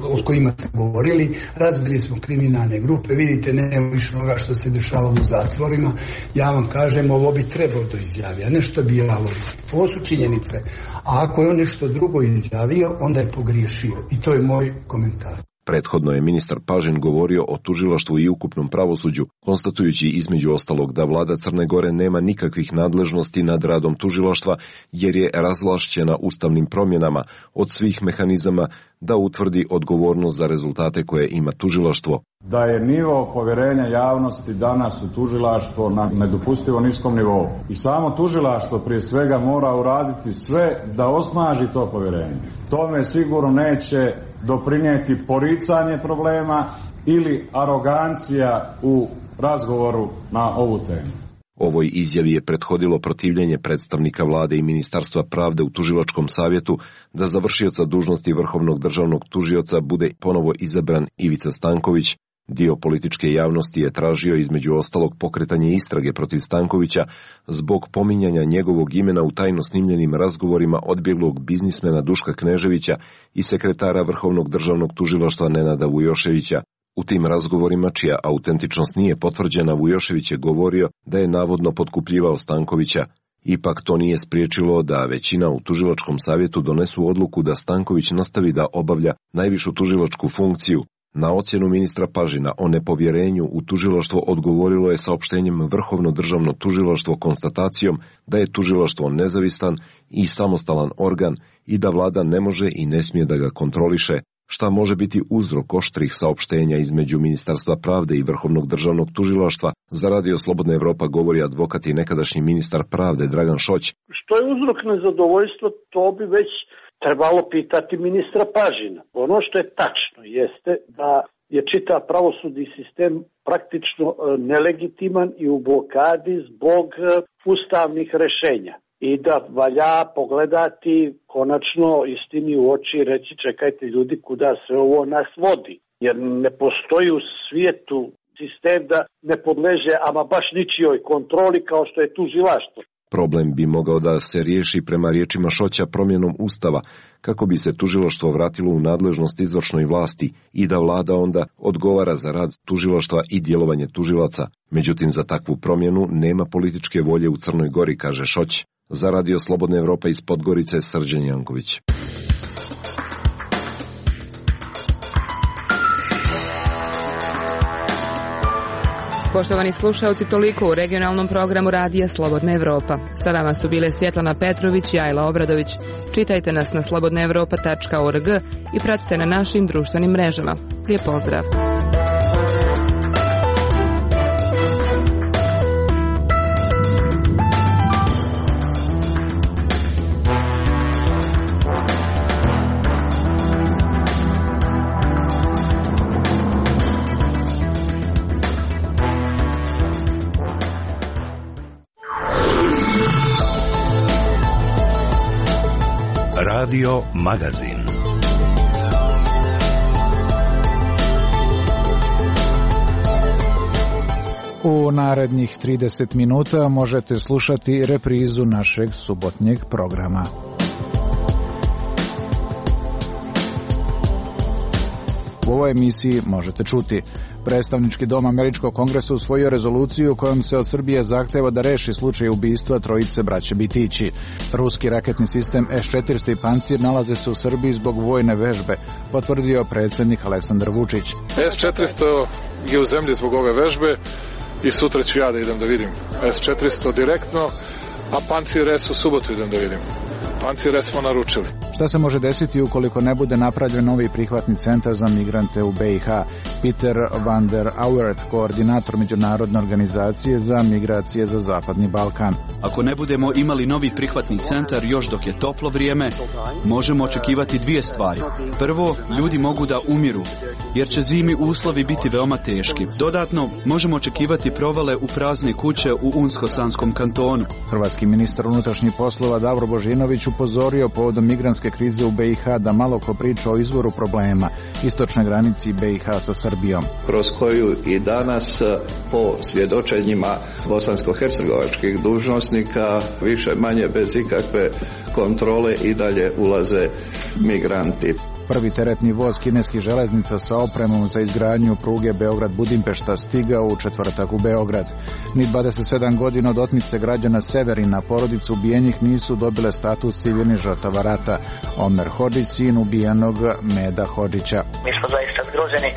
[SPEAKER 14] o kojima smo govorili, razbili smo kriminalne grupe, vidite nema više onoga što se dešavalo u zatvorima. Ja vam kažem, ovo bi trebalo da izjavi, a nešto bi javilo. Ovo su činjenice. A ako je on nešto drugo izjavio, onda je pogriješio. I to je moj komentar.
[SPEAKER 13] Prethodno je ministar Pažin govorio o tužilaštvu i ukupnom pravosuđu, konstatujući između ostalog da vlada Crne Gore nema nikakvih nadležnosti nad radom tužilaštva jer je razvlašćena ustavnim promjenama od svih mehanizama da utvrdi odgovornost za rezultate koje ima tužilaštvo.
[SPEAKER 15] Da je nivo povjerenja javnosti danas u tužilaštvo na nedopustivo niskom nivou. I samo tužilaštvo prije svega mora uraditi sve da osnaži to povjerenje. Tome sigurno neće doprinijeti poricanje problema ili arogancija u razgovoru na ovu temu.
[SPEAKER 13] Ovoj izjavi je prethodilo protivljenje predstavnika vlade i Ministarstva pravde u tužilačkom savjetu da za vršioca dužnosti vrhovnog državnog tužioca bude ponovo izabran Ivica Stanković. Dio političke javnosti je tražio između ostalog pokretanje istrage protiv Stankovića zbog pominjanja njegovog imena u tajno snimljenim razgovorima odbjeglog biznismena Duška Kneževića i sekretara Vrhovnog državnog tužilaštva Nenada Vujoševića. U tim razgovorima, čija autentičnost nije potvrđena, Vujošević je govorio da je navodno potkupljivao Stankovića. Ipak to nije spriječilo da većina u tužilačkom savjetu donesu odluku da Stanković nastavi da obavlja najvišu tužilačku funkciju. Na ocjenu ministra Pažina o nepovjerenju u tužilaštvo odgovorilo je saopštenjem Vrhovno državno tužilaštvo konstatacijom da je tužilaštvo nezavistan i samostalan organ i da vlada ne može i ne smije da ga kontroliše, šta može biti uzrok oštrih saopštenja između Ministarstva pravde i Vrhovnog državnog tužilaštva. Za Radio Slobodna Evropa govori advokat i nekadašnji ministar pravde Dragan Šoć.
[SPEAKER 16] Što je uzrok nezadovoljstva, to bi već trebalo pitati ministra Pažina. Ono što je tačno jeste da je čitav pravosudni sistem praktično nelegitiman i u blokadi zbog ustavnih rešenja. I da valja pogledati konačno istini u oči i reći čekajte ljudi kuda se ovo nas vodi. Jer ne postoji u svijetu sistem da ne podleže ama baš ničijoj kontroli kao što je tužilaštvo.
[SPEAKER 13] Problem bi mogao da se riješi prema riječima Šoća promjenom Ustava, kako bi se tužilaštvo vratilo u nadležnost izvršnoj vlasti i da vlada onda odgovara za rad tužilaštva i djelovanje tužilaca. Međutim, za takvu promjenu nema političke volje u Crnoj Gori, kaže Šoć. Za Radio Slobodna Evropa iz Podgorice, Srđan Janković.
[SPEAKER 1] Poštovani slušalci, toliko u regionalnom programu Radija Slobodna Evropa. Sa vama su bile Svjetlana Petrović i Ajla Obradović. Čitajte nas na slobodnaevropa.org i pratite na našim društvenim mrežama. Lijep pozdrav!
[SPEAKER 6] Radio Magazin.
[SPEAKER 9] U narednih 30 minuta možete slušati reprizu našeg subotnjeg programa. U ovoj emisiji možete čuti: Predstavnički dom Američkog kongresa usvojio rezoluciju kojom se od Srbije zahteva da reši slučaj ubistva trojice braće Bitići. Ruski raketni sistem S-400 i Pancir nalaze se u Srbiji zbog vojne vežbe, potvrdio predsjednik Aleksandar Vučić.
[SPEAKER 17] S-400 je u zemlji zbog ove vežbe i sutra ću ja da idem da vidim S-400 direktno, a Pancir S u subotu idem da vidim. Pancir S smo naručili.
[SPEAKER 9] Šta se može desiti ukoliko ne bude napravljen novi prihvatni centar za migrante u BiH? Peter van der Auwert, koordinator Međunarodne organizacije za migracije za Zapadni Balkan.
[SPEAKER 18] Ako ne budemo imali novi prihvatni centar još dok je toplo vrijeme, možemo očekivati dvije stvari. Prvo, ljudi mogu da umiru, jer će zimi uslovi biti veoma teški. Dodatno, možemo očekivati provale u prazne kuće u Unsko-Sanskom kantonu.
[SPEAKER 9] Hrvatski ministar unutrašnjih poslova Davor Božinović upozorio povodom migrantske krize u BiH da malo ko priča o izvoru problema, istočnoj granici BiH sa Srbijom.
[SPEAKER 20] Kroz koju i danas po svjedočenjima bosansko-hercegovačkih dužnosnika više manje bez ikakve kontrole i dalje ulaze migranti.
[SPEAKER 9] Prvi teretni voz kineskih železnica sa opremom za izgradnju pruge Beograd-Budimpešta stigao u četvrtak u Beograd. Ni 27 godina od otmice građana Severina porodice ubijenih nisu dobile status civilnih žrtava rata. Omer Hodžić, sin ubijenog Meda Hodžića.
[SPEAKER 21] Mi smo zaista zgroženi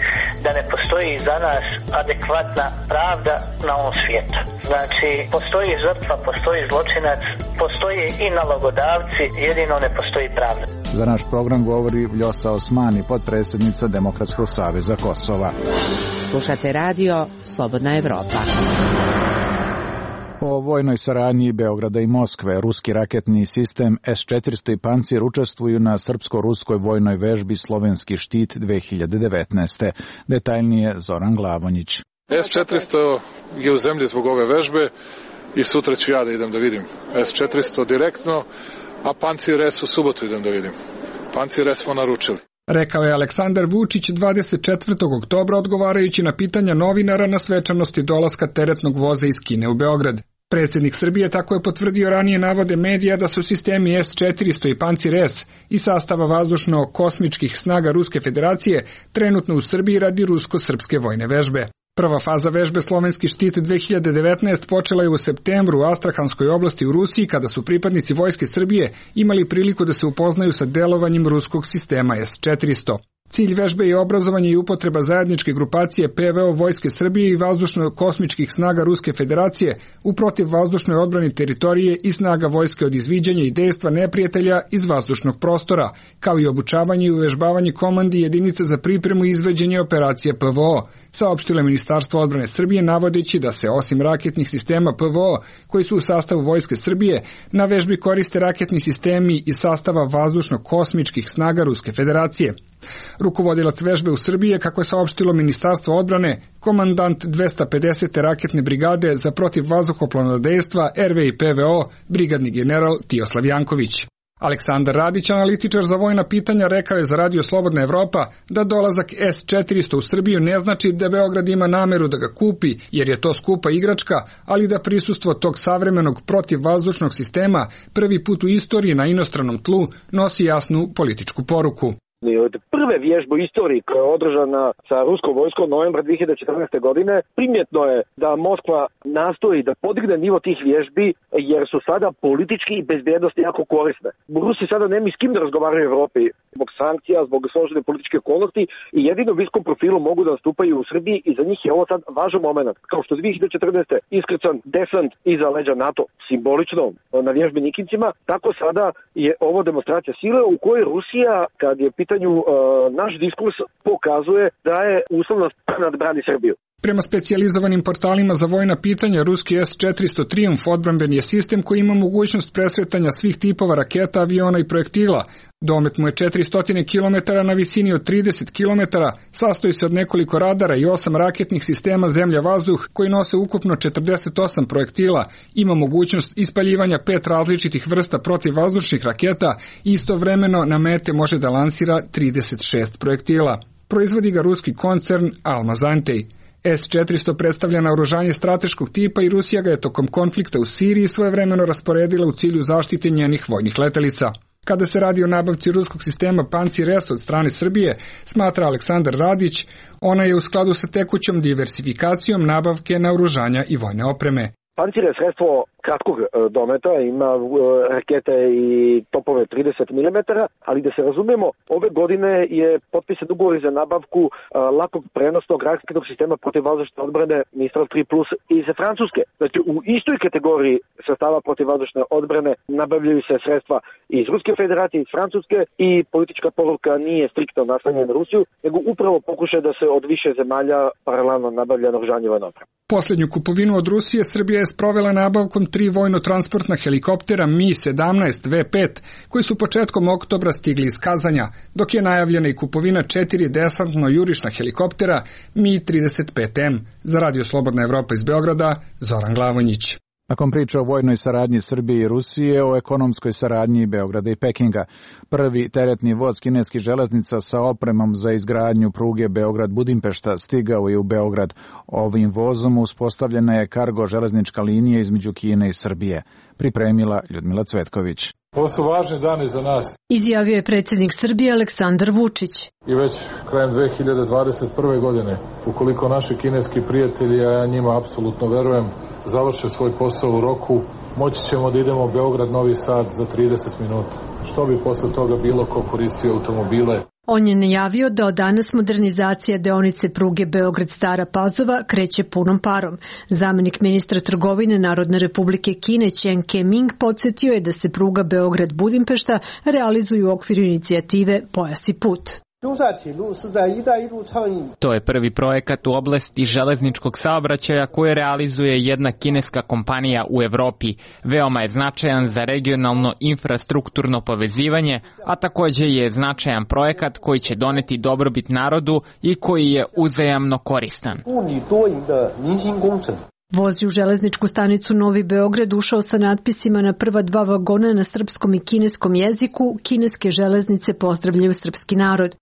[SPEAKER 21] da ne postoji za nas adekvatna pravda na ovom svijetu. Znači, postoji žrtva, postoji zločinac, postoji i nalogodavci, jedino ne postoji pravda.
[SPEAKER 9] Za naš program govori Vljosa Osmani, potpredsjednica Demokratskog saveza Kosova.
[SPEAKER 26] Slušate radio Slobodna Evropa.
[SPEAKER 9] O vojnoj saradnji Beograda i Moskve, ruski raketni sistem S-400 i Pancir učestvuju na srpsko-ruskoj vojnoj vežbi Slovenski štit 2019. Detaljnije Zoran Glavonjić.
[SPEAKER 17] S-400 je u zemlji zbog ove vežbe i sutra ću ja da idem da vidim S-400 direktno, a Pancir S u subotu idem da vidim. Pancir S smo naručili.
[SPEAKER 27] Rekao je Aleksandar Vučić 24. oktobra odgovarajući na pitanja novinara na svečanosti dolaska teretnog voza iz Kine u Beograd. Predsjednik Srbije tako je potvrdio ranije navode medija da su sistemi S-400 i Pancir S iz sastava vazdušno-kosmičkih snaga Ruske federacije trenutno u Srbiji radi rusko-srpske vojne vežbe. Prva faza vežbe Slovenski štit 2019 počela je u septembru u Astrahanskoj oblasti u Rusiji kada su pripadnici Vojske Srbije imali priliku da se upoznaju sa delovanjem ruskog sistema S-400. Cilj vežbe je obrazovanje i upotreba zajedničke grupacije PVO Vojske Srbije i vazdušno-kosmičkih snaga Ruske federacije u protivvazdušnoj odbrani teritorije i snaga vojske od izviđanja i dejstva neprijatelja iz vazdušnog prostora, kao i obučavanje i uvežbavanje komandi jedinice za pripremu i izveđenje operacije PVO, saopštilo je Ministarstvo odbrane Srbije navodeći da se osim raketnih sistema PVO koji su u sastavu Vojske Srbije, na vežbi koriste raketni sistemi iz sastava vazdušno-kosmičkih snaga Ruske federacije. Rukovodilac vežbe u Srbiji je, kako je saopštilo Ministarstvo odbrane, komandant 250. raketne brigade za protivvazduhoplovno dejstva RV i PVO, brigadni general Tijoslav Janković. Aleksandar Radić, analitičar za vojna pitanja, rekao je za Radio Slobodna Evropa da dolazak S-400 u Srbiju ne znači da Beograd ima nameru da ga kupi, jer je to skupa igračka, ali da prisustvo tog savremenog protivvazdušnog sistema prvi put u istoriji na inostranom tlu nosi jasnu političku poruku.
[SPEAKER 3] Od prve vježbe u istoriji koja je održana sa ruskom vojskom novembra 2014. godine, primjetno je da Moskva nastoji da podigne nivo tih vježbi jer su sada politički i bezbjednosti jako korisne. Rusi sada nema s kim da razgovaraju u Evropi zbog sankcija, zbog složene političke okolnosti i jedino u viskom profilu mogu da nastupaju u Srbiji i za njih je ovo sad važan moment. Kao što 2014. iskrcan desant iza leđa NATO simbolično na vježbi Nikincima, tako sada je ovo demonstracija sile u kojoj Rusija, kad je pitanju naš diskurs, pokazuje da je uslovno nadbrani Srbiju.
[SPEAKER 27] Prema specijalizovanim portalima za vojna pitanja, ruski S-400 Triumf odbrambeni je sistem koji ima mogućnost presretanja svih tipova raketa, aviona i projektila. Domet mu je 400 km na visini od 30 km, sastoji se od nekoliko radara i 8 raketnih sistema zemlja-vazduh koji nose ukupno 48 projektila, ima mogućnost ispaljivanja 5 različitih vrsta protivvazdušnih raketa i istovremeno na mete može da lansira 36 projektila. Proizvodi ga ruski koncern Almaz-Antey. S-400 predstavlja naoružanje strateškog tipa i Rusija ga je tokom konflikta u Siriji svojevremeno rasporedila u cilju zaštite njenih vojnih letelica. Kada se radi o nabavci ruskog sistema Pancir-S od strane Srbije, smatra Aleksandar Radić, ona je u skladu sa tekućom diversifikacijom nabavke naoružanja i vojne opreme.
[SPEAKER 3] Pancir je sredstvo kratkog dometa, ima rakete i topove 30 mm, ali da se razumijemo, ove godine je potpisan ugovor za nabavku lakog prenosnog raketnog sistema protivvazdušne odbrane Mistral 3 Plus iz Francuske. Znači, u istoj kategoriji sredstava protivvazdušne odbrane nabavljaju se sredstva iz Ruske federacije, iz Francuske i politička poruka nije striktno naslonjena na Rusiju, nego upravo pokušaj da se od više zemalja paralelno nabavlja naoružanje vojne opreme.
[SPEAKER 27] Posljednju kupovinu od Rusije Srbija je sprovela nabavkom 3 vojno-transportna helikoptera Mi-17 V5, koji su početkom oktobra stigli iz Kazanja, dok je najavljena i kupovina 4 desantno-jurišna helikoptera Mi-35M. Za Radio Slobodna Evropa iz Beograda, Zoran Glavonjić.
[SPEAKER 9] Nakon priče o vojnoj saradnji Srbije i Rusije, o ekonomskoj saradnji Beograda i Pekinga. Prvi teretni voz kineskih železnica sa opremom za izgradnju pruge Beograd-Budimpešta stigao je u Beograd. Ovim vozom uspostavljena je kargo železnička linija između Kine i Srbije. Pripremila Ljudmila Cvetković.
[SPEAKER 17] Ovo su važni dani za nas,
[SPEAKER 4] izjavio je predsjednik Srbije Aleksandar Vučić.
[SPEAKER 17] I već krajem 2021. godine, ukoliko naši kineski prijatelji, a ja njima apsolutno verujem, završe svoj posao u roku, moći ćemo da idemo Beograd-Novi Sad za 30 minuta. Što bi posle toga bilo ko koristio automobile?
[SPEAKER 4] On je najavio da od danas modernizacija deonice pruge Beograd-Stara Pazova kreće punom parom. Zamenik ministra trgovine Narodne republike Kine Chen Ke-ming podsjetio je da se pruga Beograd-Budimpešta realizuje u okviru inicijative Pojas i put.
[SPEAKER 5] To je prvi projekat u oblasti železničkog saobraćaja koje realizuje jedna kineska kompanija u Evropi. Veoma je značajan za regionalno infrastrukturno povezivanje, a također je značajan projekat koji će doneti dobrobit narodu i koji je uzajamno koristan.
[SPEAKER 4] Voz je u železničku stanicu Novi Beograd ušao sa natpisima na prva 2 vagona na srpskom i kineskom jeziku. Kineske železnice pozdravljaju srpski narod.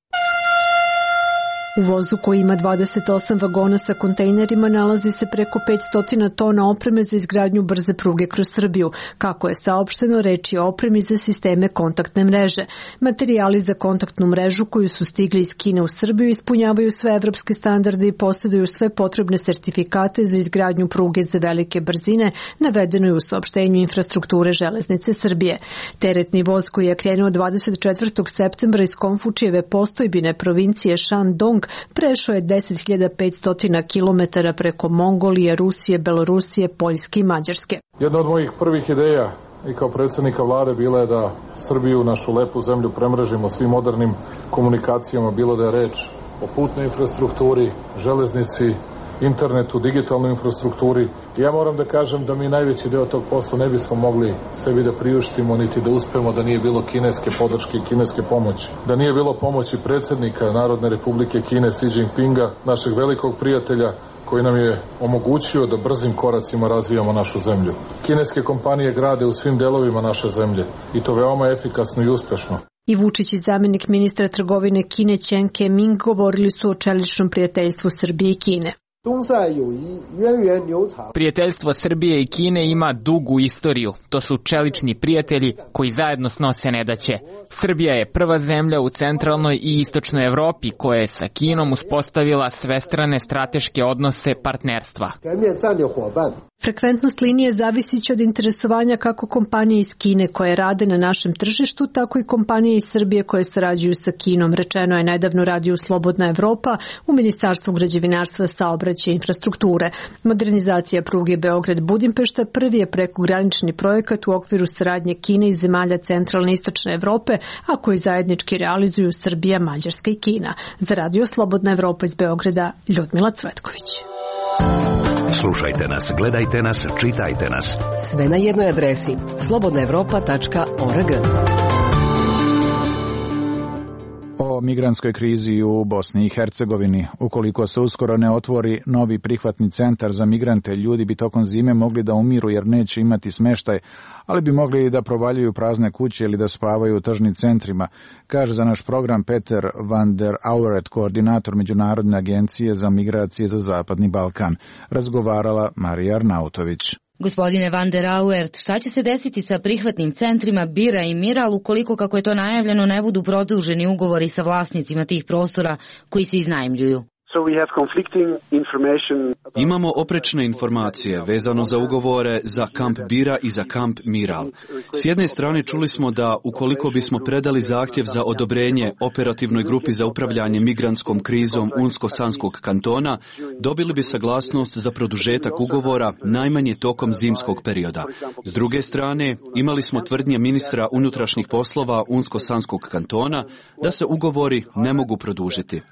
[SPEAKER 4] U vozu koji ima 28 vagona sa kontejnerima nalazi se preko 500 tona opreme za izgradnju brze pruge kroz Srbiju. Kako je saopšteno, reč je o opremi za sisteme kontaktne mreže. Materijali za kontaktnu mrežu koju su stigli iz Kine u Srbiju ispunjavaju sve evropske standarde i posjeduju sve potrebne sertifikate za izgradnju pruge za velike brzine, navedeno je u saopštenju infrastrukture železnice Srbije. Teretni voz koji je krenuo 24. septembra iz Konfučijeve postojbine provincije Shandong prešao je 10.500 km preko Mongolije, Rusije, Belorusije, Poljske i Mađarske.
[SPEAKER 17] Jedna od mojih prvih ideja i kao predsjednika vlade bila je da Srbiju, našu lepu zemlju, premrežimo svim modernim komunikacijama, bilo da je reč o putnoj infrastrukturi, železnici, internetu, digitalnoj infrastrukturi. Ja moram da kažem da mi najveći deo tog posla ne bismo mogli sebi da priuštimo niti da uspemo da nije bilo kineske podrške i kineske pomoći. Da nije bilo pomoći predsjednika Narodne republike Kine Xi Jinpinga, našeg velikog prijatelja, koji nam je omogućio da brzim koracima razvijamo našu zemlju. Kineske kompanije grade u svim delovima naše zemlje i to veoma efikasno i uspešno.
[SPEAKER 4] I Vučić i zamenik ministra trgovine Kine Chen Ke-ming govorili su o čeličnom prijateljstvu Srbije i Kine.
[SPEAKER 5] Prijateljstvo Srbije i Kine ima dugu istoriju. To su čelični prijatelji koji zajedno snose nedaće. Srbija je prva zemlja u centralnoj i istočnoj Evropi koja je sa Kinom uspostavila svestrane strateške odnose partnerstva.
[SPEAKER 4] Frekventnost linije zavisiće od interesovanja kako kompanije iz Kine koje rade na našem tržištu, tako i kompanije iz Srbije koje sarađuju sa Kinom, rečeno je nedavno radiju Slobodna Evropa u Ministarstvu građevinarstva, saobraćaja i infrastrukture. Modernizacija pruge Beograd-Budimpešta prvi je prekogranični projekat u okviru saradnje Kine i zemalja centralne i istočne Evrope, a koji zajednički realizuju Srbija, Mađarska i Kina. Za radio Slobodna Evropa iz Beograda, Ljudmila Cvetković.
[SPEAKER 6] Slušajte nas, gledajte nas, čitajte nas.
[SPEAKER 26] Sve na jednoj adresi slobodnaevropa.org.
[SPEAKER 9] O migrantskoj krizi u Bosni i Hercegovini. Ukoliko se uskoro ne otvori novi prihvatni centar za migrante, ljudi bi tokom zime mogli da umiru jer neće imati smeštaj, ali bi mogli i da provaljuju prazne kuće ili da spavaju u tržnim centrima, kaže za naš program Peter van der Auret, koordinator Međunarodne agencije za migracije za Zapadni Balkan. Razgovarala Marija Arnautović.
[SPEAKER 2] Gospodine van der Auert, šta će se desiti sa prihvatnim centrima Bira i Miral ukoliko, kako je to najavljeno, ne budu produženi ugovori sa vlasnicima tih prostora koji se iznajmljuju?
[SPEAKER 18] Imamo oprečne informacije vezano za ugovore za kamp Bira i za kamp Miral. S jedne strane čuli smo da ukoliko bismo predali zahtjev za odobrenje operativnoj grupi za upravljanje migrantskom krizom Unsko-Sanskog kantona, dobili bi saglasnost za produžetak ugovora najmanje tokom zimskog perioda. S druge strane, imali smo tvrdnje ministra unutrašnjih poslova Unsko-Sanskog kantona da se ugovori ne mogu produžiti.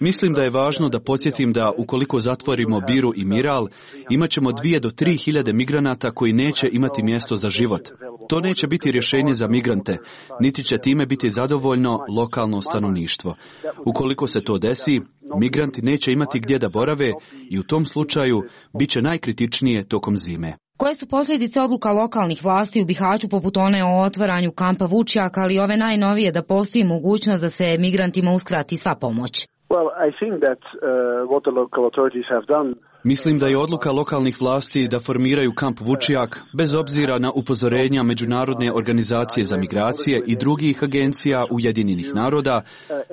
[SPEAKER 18] Mislim da je važno da podsjetim da ukoliko zatvorimo Biru i Miral, imat ćemo 2 do 3 hiljade migranata koji neće imati mjesto za život. To neće biti rješenje za migrante, niti će time biti zadovoljno lokalno stanovništvo. Ukoliko se to desi, migranti neće imati gdje da borave i u tom slučaju bit će najkritičnije tokom zime.
[SPEAKER 2] Koje su posljedice odluka lokalnih vlasti u Bihaću poput one o otvaranju kampa Vučjak, ali ove najnovije da postoji mogućnost da se migrantima uskrati sva pomoć?
[SPEAKER 18] Mislim da je odluka lokalnih vlasti da formiraju kamp Vučjak, bez obzira na upozorenja Međunarodne organizacije za migracije i drugih agencija Ujedinjenih naroda,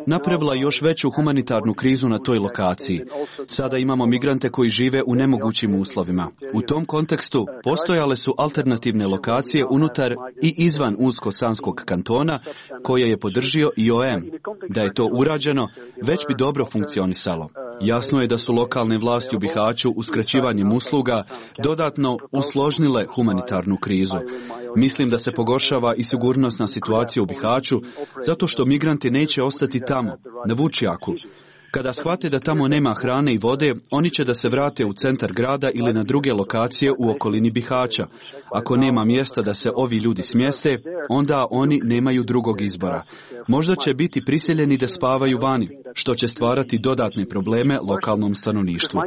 [SPEAKER 18] napravila još veću humanitarnu krizu na toj lokaciji. Sada imamo migrante koji žive u nemogućim uslovima. U tom kontekstu postojale su alternativne lokacije unutar i izvan Unsko-Sanskog kantona, koje je podržio IOM. Da je to urađeno, već bi dobro funkcionisalo. Jasno je da su lokalne vlasti u Bihaću uskraćivanjem usluga dodatno usložnile humanitarnu krizu. Mislim da se pogoršava i sigurnosna situacija u Bihaću zato što migranti neće ostati tamo, na Vučjaku. Kada shvate da tamo nema hrane i vode, oni će da se vrate u centar grada ili na druge lokacije u okolini Bihaća. Ako nema mjesta da se ovi ljudi smjeste, onda oni nemaju drugog izbora. Možda će biti prisiljeni da spavaju vani, što će stvarati dodatne probleme lokalnom stanovništvu.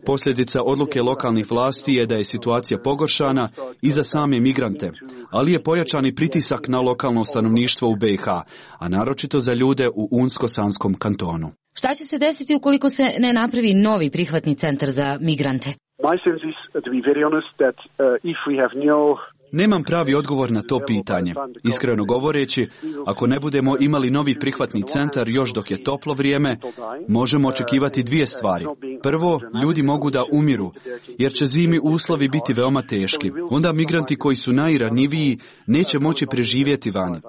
[SPEAKER 18] Posljedica odluke lokalnih vlasti je da je situacija pogoršana i za same migrante, ali je pojačani pritisak na lokalno stanovništvo u BiH, a naročito za ljude u Unsko-Sanskom kantonu.
[SPEAKER 2] Šta će se desiti ukoliko se ne napravi novi prihvatni centar za migrante?
[SPEAKER 18] Nemam pravi odgovor na to pitanje. Iskreno govoreći, ako ne budemo imali novi prihvatni centar još dok je toplo vrijeme, možemo očekivati 2 stvari. Prvo, ljudi mogu da umiru, jer će zimi uslovi biti veoma teški. Onda migranti koji su najranjiviji neće moći preživjeti vani.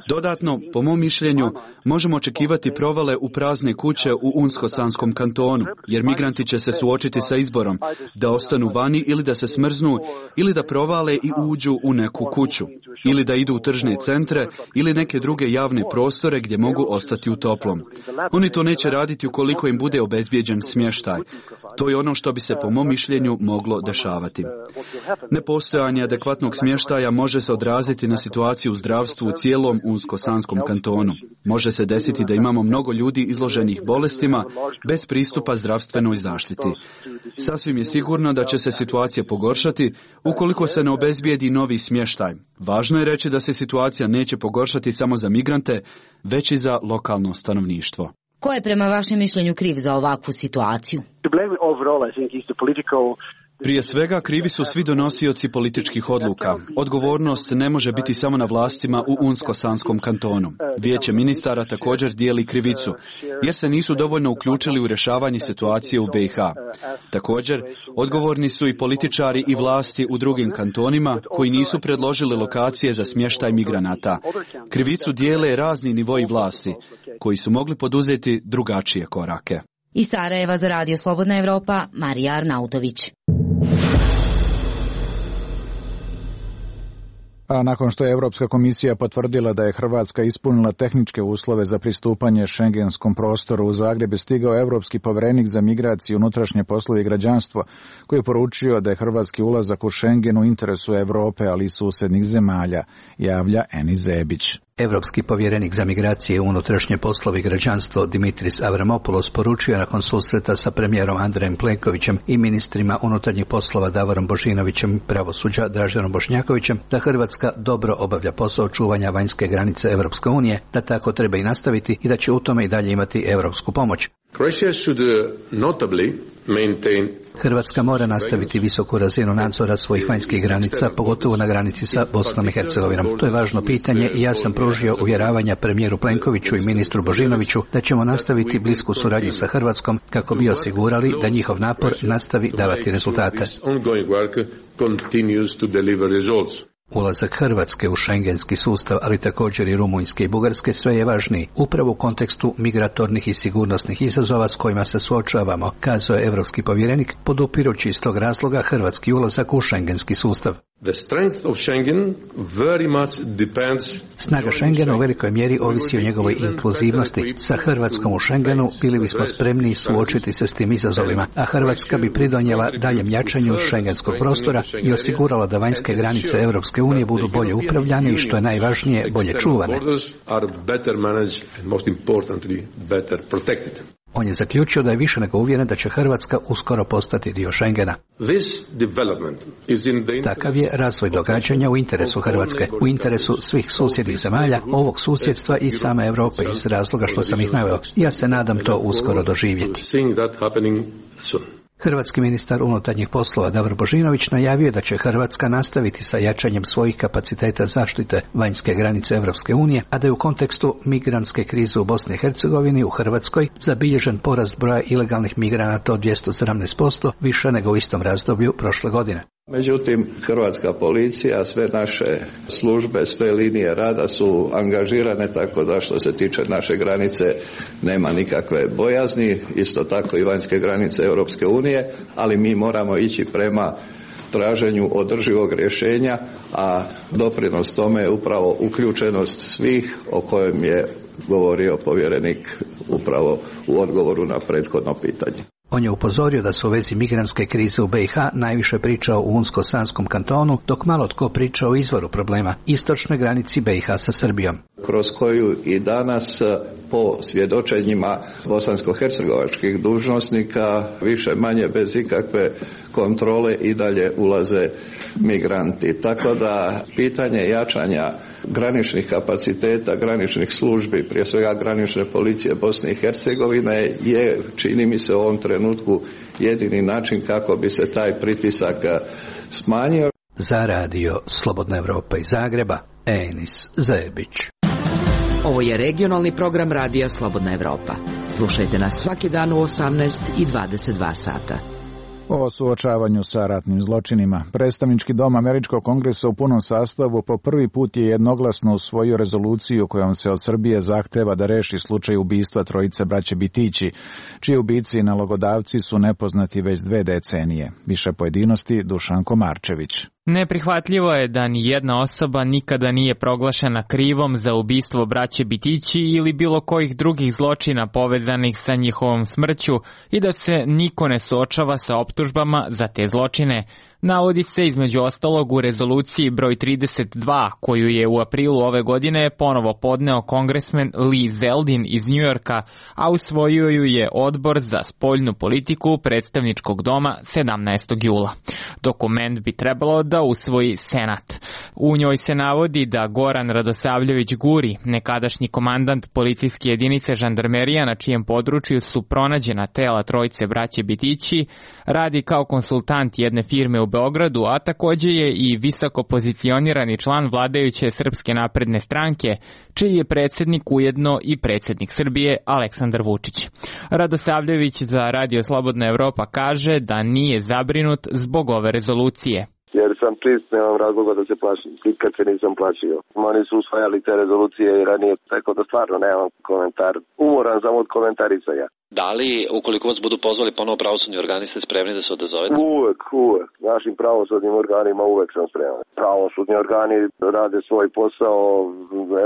[SPEAKER 18] Dodatno, po mom mišljenju, možemo očekivati provale u prazne kuće u Unsko-Sanskom kantonu, jer migranti će se suočiti sa izborom da ostanu vani ili da se smrznu, ili da provale i uđu u neku kuću, ili da idu u tržne centre ili neke druge javne prostore gdje mogu ostati u toplom. Oni to neće raditi ukoliko im bude obezbijeđen smještaj. To je ono što bi se po mom mišljenju moglo dešavati. Nepostojanje adekvatnog smještaja može se odraziti na situaciju u zdravstvu u cijelom Unsko-Sanskom kantonu. Može se desiti da imamo mnogo ljudi izloženih bolestima bez pristupa zdravstvenoj zaštiti. Sasvim je sigurno da će se situacija pogoršati ukoliko se ne obezbijedi novi smještaj. Važno je reći da se situacija neće pogoršati samo za migrante, već i za lokalno stanovništvo.
[SPEAKER 2] Ko je prema vašem mišljenju kriv za ovakvu situaciju?
[SPEAKER 18] Prije svega krivi su svi donosioci političkih odluka. Odgovornost ne može biti samo na vlastima u Unsko-Sanskom kantonu. Vijeće ministara također dijeli krivicu, jer se nisu dovoljno uključili u rješavanje situacije u BiH. Također, odgovorni su i političari i vlasti u drugim kantonima koji nisu predložili lokacije za smještaj migranata. Krivicu dijele razni nivoi vlasti, koji su mogli poduzeti drugačije korake.
[SPEAKER 2] Iz Sarajeva za Radio Slobodna Evropa, Marija Arnautović.
[SPEAKER 9] A nakon što je Europska komisija potvrdila da je Hrvatska ispunila tehničke uslove za pristupanje šengenskom prostoru, u Zagreb je stigao Europski povjerenik za migraciju, unutrašnje poslove i građanstvo, koji je poručio da je hrvatski ulazak u Schengen u interesu Europe, ali i susjednih zemalja, javlja Enis Zebić.
[SPEAKER 24] Europski povjerenik za migracije, unutrašnje poslove i građanstvo Dimitris Avramopoulos poručio nakon susreta sa premijerom Andrejem Plenkovićem i ministrima unutarnjih poslova Davorom Božinovićem i pravosuđa Draženom Bošnjakovićem da Hrvatska dobro obavlja posao čuvanja vanjske granice Europske unije, da tako treba i nastaviti i da će u tome i dalje imati europsku pomoć. Hrvatska mora nastaviti visoku razinu nadzora svojih vanjskih granica, pogotovo na granici sa Bosnom i Hercegovinom. To je važno pitanje i ja sam pružio uvjeravanja premijeru Plenkoviću i ministru Božinoviću da ćemo nastaviti blisku suradnju sa Hrvatskom kako bi osigurali da njihov napor nastavi davati rezultate. Ulazak Hrvatske u šengenski sustav, ali također i Rumunjske i Bugarske, sve je važniji, upravo u kontekstu migratornih i sigurnosnih izazova s kojima se suočavamo, kazao je europski povjerenik, podupirući iz tog razloga hrvatski ulazak u šengenski sustav. Snaga Schengena u velikoj mjeri ovisi o njegovoj inkluzivnosti. Sa Hrvatskom u Schengenu bili bismo spremni suočiti se s tim izazovima, a Hrvatska bi pridonijela daljem jačanju šengenskog prostora i osigurala da vanjske granice Europske unije budu bolje upravljane i, što je najvažnije, bolje čuvane. On je zaključio da je više nego uvjeren da će Hrvatska uskoro postati dio Schengena. Takav je razvoj događanja u interesu Hrvatske, u interesu svih susjednih zemalja, ovog susjedstva i same Europe iz razloga što sam ih naveo. Ja se nadam to uskoro doživjeti. Hrvatski ministar unutarnjih poslova Davor Božinović najavio da će Hrvatska nastaviti sa jačanjem svojih kapaciteta zaštite vanjske granice Europske unije, a da je u kontekstu migrantske krize u Bosni i Hercegovini u Hrvatskoj zabilježen porast broja ilegalnih migranata od 217%, više nego u istom razdoblju prošle godine.
[SPEAKER 20] Međutim, hrvatska policija, sve naše službe, sve linije rada su angažirane, tako da što se tiče naše granice nema nikakve bojazni, isto tako i vanjske granice Europske unije, ali mi moramo ići prema traženju održivog rješenja, a doprinos tome je upravo uključenost svih o kojem je govorio povjerenik upravo u odgovoru na prethodno pitanje.
[SPEAKER 24] On je upozorio da se u vezi migrantske krize u BiH najviše pričao u Unsko-Sanskom kantonu, dok malo tko priča o izvoru problema, istočnoj granici BiH sa Srbijom.
[SPEAKER 20] Kroz koju i danas po svjedočenjima bosansko-hercegovačkih dužnosnika više manje bez ikakve kontrole i dalje ulaze migranti. Tako da pitanje jačanja graničnih kapaciteta, graničnih službi, prije svega granične policije Bosne i Hercegovine je, čini mi se u ovom trenutku, jedini način kako bi se taj pritisak smanjio.
[SPEAKER 24] Za Radio Slobodna Evropa iz Zagreba, Enis Zebić.
[SPEAKER 26] Ovo je regionalni program Radija Slobodna Evropa. Slušajte nas svaki dan u 18 i 22 sata.
[SPEAKER 9] O suočavanju sa ratnim zločinima. Predstavnički dom Američkog kongresa u punom sastavu po prvi put je jednoglasno usvojio rezoluciju kojom se od Srbije zahteva da reši slučaj ubistva trojice braće Bitići, čiji ubici i nalogodavci su nepoznati već 2 decenije. Više pojedinosti Dušan Komarčević.
[SPEAKER 5] Neprihvatljivo je da ni jedna osoba nikada nije proglašena krivom za ubistvo braće Bitići ili bilo kojih drugih zločina povezanih sa njihovom smrću i da se niko ne suočava sa optužbama za te zločine. Navodi se između ostalog u rezoluciji broj 32 koju je u aprilu ove godine ponovo podneo kongresmen Lee Zeldin iz Njujorka, a usvojio ju je Odbor za spoljnu politiku predstavničkog doma 17. jula. Dokument bi trebalo da usvoji Senat. U njoj se navodi da Goran Radosavljević Guri, nekadašnji komandant policijske jedinice žandarmerija na čijem području su pronađena tela trojice braće Bitići, radi kao konsultant jedne firme u Beogradu, a također je i visoko pozicionirani član vladajuće Srpske napredne stranke, čiji je predsjednik ujedno i predsjednik Srbije Aleksandar Vučić. Radosavljević za Radio Slobodna Evropa kaže da nije zabrinut zbog ove rezolucije.
[SPEAKER 7] Jer sam čist, nemam razloga da se plašim. Nikad se nisam plašio. Oni su usvajali te rezolucije i ranije, tako da stvarno nemam komentar. Umoran sam od komentarisanja.
[SPEAKER 8] Da li, ukoliko vas budu pozvali ponovo pravosudni organi, ste spremni da se odazovete?
[SPEAKER 7] Uvek. Našim pravosudnim organima uvek sam spreman. Pravosudni organi rade svoj posao,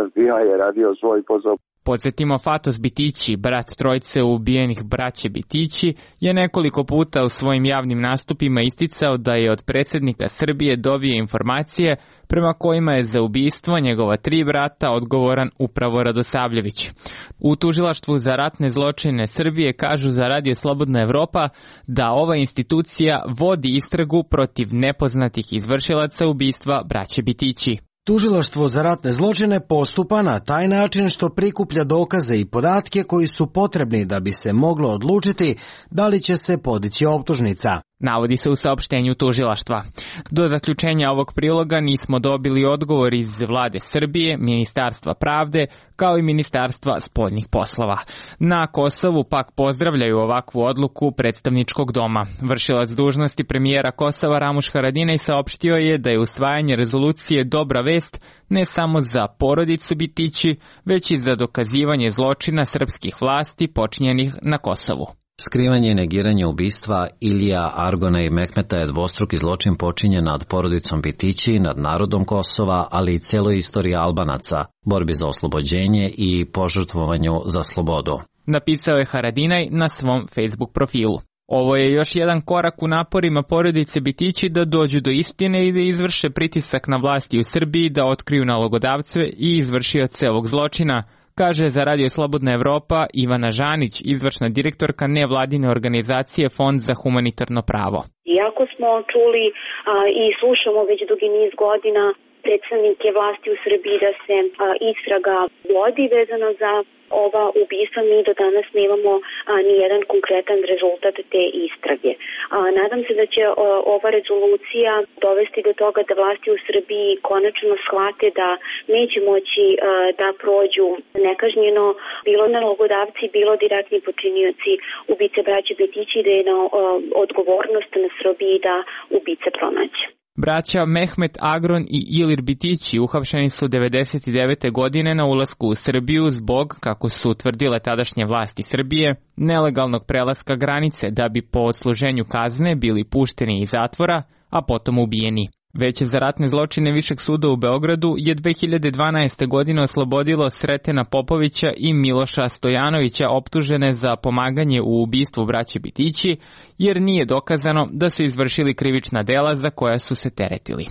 [SPEAKER 7] FBI je radio svoj posao.
[SPEAKER 5] Podsjetimo, Fatos Bitići, brat trojice ubijenih braće Bitići, je nekoliko puta u svojim javnim nastupima isticao da je od predsjednika Srbije dobio informacije prema kojima je za ubistvo njegova 3 brata odgovoran upravo Radosavljević. U Tužilaštvu za ratne zločine Srbije kažu za Radio Slobodna Evropa da ova institucija vodi istragu protiv nepoznatih izvršilaca ubistva braće Bitići.
[SPEAKER 23] Tužilaštvo za ratne zločine postupa na taj način što prikuplja dokaze i podatke koji su potrebni da bi se moglo odlučiti da li će se podići optužnica.
[SPEAKER 5] Navodi se u saopštenju tužilaštva. Do zaključenja ovog priloga nismo dobili odgovor iz vlade Srbije, Ministarstva pravde, kao i Ministarstva spoljnih poslova. Na Kosovu pak pozdravljaju ovakvu odluku predstavničkog doma. Vršilac dužnosti premijera Kosova Ramuš Haradinaj saopštio je da je usvajanje rezolucije dobra vest ne samo za porodicu Bitići, već i za dokazivanje zločina srpskih vlasti počinjenih na Kosovu.
[SPEAKER 10] Skrivanje i negiranje ubistva Ilija, Argona i Mehmeta je dvostruki zločin počinjen nad porodicom Bitići, nad narodom Kosova, ali i celoj istoriji Albanaca, borbi za oslobođenje i požrtvovanju za slobodu.
[SPEAKER 5] Napisao je Haradinaj na svom Facebook profilu. Ovo je još jedan korak u naporima porodice Bitići da dođu do istine i da izvrše pritisak na vlasti u Srbiji da otkriju nalogodavce i izvršioce ovog zločina, kaže za Radio Slobodna Evropa Ivana Žanić, izvršna direktorka nevladine organizacije Fond za humanitarno pravo.
[SPEAKER 12] Iako smo čuli i slušamo već dugi niz godina predstavnike vlasti u Srbiji da se istraga vodi vezano za ova ubistva, mi do danas nemamo ni jedan konkretan rezultat te istrage. Nadam se da će ova rezolucija dovesti do toga da vlasti u Srbiji konačno shvate da neće moći da prođu nekažnjeno bilo nalogodavci, bilo direktni počinioci ubice braće Bitići, da je na odgovornost na Srbiji da ubice pronaće.
[SPEAKER 5] Braća Mehmet Agron i Ilir Bitići uhapšeni su 1999. godine na ulasku u Srbiju zbog, kako su utvrdile tadašnje vlasti Srbije, nelegalnog prelaska granice da bi po odsluženju kazne bili pušteni iz zatvora, a potom ubijeni. Veće za ratne zločine Višeg suda u Beogradu je 2012. godine oslobodilo Sretena Popovića i Miloša Stojanovića optužene za pomaganje u ubistvu braće Bitići, jer nije dokazano da su izvršili krivična dela za koja su se teretili.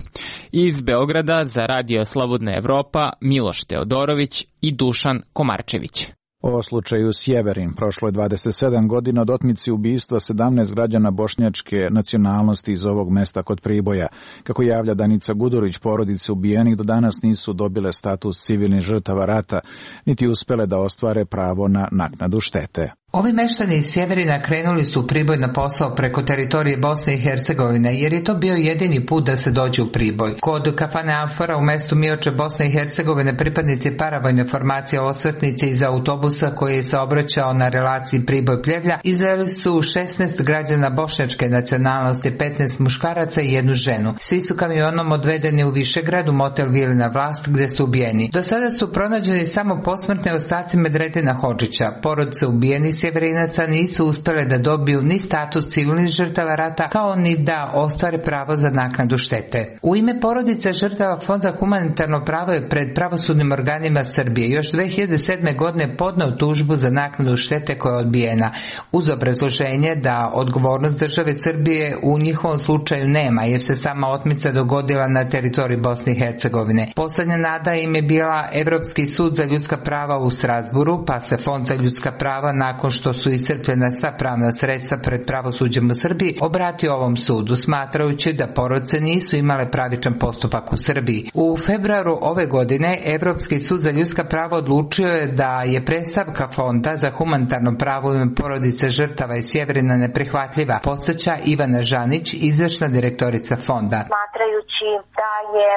[SPEAKER 5] Iz Beograda za Radio Slobodna Evropa Miloš Teodorović i Dušan Komarčević.
[SPEAKER 9] O slučaju Sjeverin prošlo je 27 godina od otmice ubistva 17 građana bošnjačke nacionalnosti iz ovog mesta kod Priboja. Kako javlja Danica Gudurić, porodice ubijenih do danas nisu dobile status civilnih žrtava rata, niti uspele da ostvare pravo na naknadu štete.
[SPEAKER 19] Ovi meštani iz Sjeverina krenuli su u Priboj na posao preko teritorije Bosne i Hercegovine, jer je to bio jedini put da se dođe u Priboj. Kod kafane Amfora u mestu Mioče, Bosne i Hercegovine, pripadnici paravojne formacije osvetnice iz autobusa koji je saobraćao na relaciji Priboj-Pljevlja izveli su 16 građana bošnjačke nacionalnosti, 15 muškaraca i jednu ženu. Svi su kamionom odvedeni u Višegrad u motel Vilina Vlast gde su ubijeni. Do sada su pronađeni samo posmrtni ostaci Medredina Hodžića. Porodice ubijenih sjeverinaca nisu uspjele da dobiju ni status civilnih žrtava rata, kao ni da ostvare pravo za naknadu štete. U ime porodice žrtava Fond za humanitarno pravo je pred pravosudnim organima Srbije još 2007. godine podneo tužbu za naknadu štete koja je odbijena, uz obrazloženje da odgovornost države Srbije u njihovom slučaju nema, jer se sama otmica dogodila na teritoriji Bosne i Hercegovine. Poslednja nada im je bila Evropski sud za ljudska prava u Strasburu, pa se Fond za ljudska prava, nakon što su iscrpljena sva pravna sredstva pred pravosuđem u Srbiji, obratio ovom sudu, smatrajući da porodice nisu imale pravičan postupak u Srbiji. U februaru ove godine Evropski sud za ljudska prava odlučio je da je predstavka Fonda za humanitarno pravo u ime porodice žrtava iz Sjeverina neprihvatljiva, podsjeća Ivana Žanić, izvršna direktorica Fonda.
[SPEAKER 11] Smatrajući da je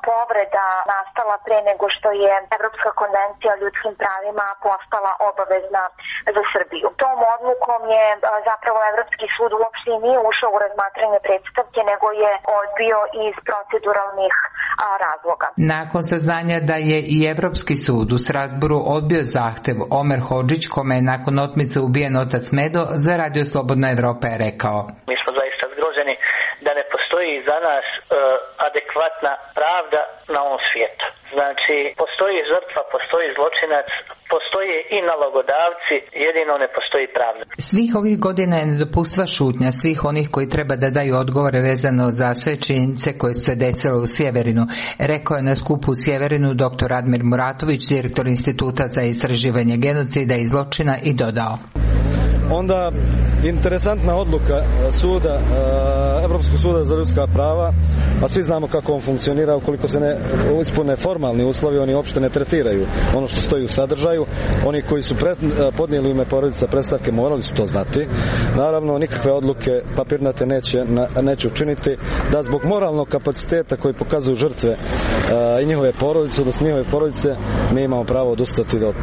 [SPEAKER 11] povreda nastala pre nego što je Evropska konvencija o ljudskim pravima postala obavezna za Srbiju. Tom odlukom je zapravo Evropski sud uopšte nije ušao u razmatranje predstavke, nego je odbio iz proceduralnih razloga.
[SPEAKER 19] Nakon saznanja da je i Evropski sud u Strasburu odbio zahtev, Omer Hodžić, kome je nakon otmice ubijen otac Medo, za Radio Slobodna Evropa je rekao:
[SPEAKER 21] Mi smo zaista zgroženi da ne postoji za nas adekvatna pravda na ovom svijetu. Znači, postoji žrtva, postoji zločinac, postoje i nalogodavci, jedino ne postoji pravda.
[SPEAKER 19] Svih ovih godina je nedopustiva šutnja svih onih koji treba da daju odgovore vezano za sve činjenice koje su se desile u Sjeverinu, rekao je na skupu u Sjeverinu dr. Admir Muratović, direktor Instituta za istraživanje genocida i zločina, i dodao:
[SPEAKER 13] Onda interesantna odluka suda, Evropskog suda za ljudska prava, a svi znamo kako on funkcionira, ukoliko se ne ispune formalni uslovi, oni uopšte ne tretiraju ono što stoji u sadržaju. Oni koji su podnijeli u ime porodica predstavke morali su to znati. Naravno, nikakve odluke papirnate neće učiniti da zbog moralnog kapaciteta koji pokazuju žrtve i njihove porodice, odnosno njihove porodice, mi imamo pravo odustati od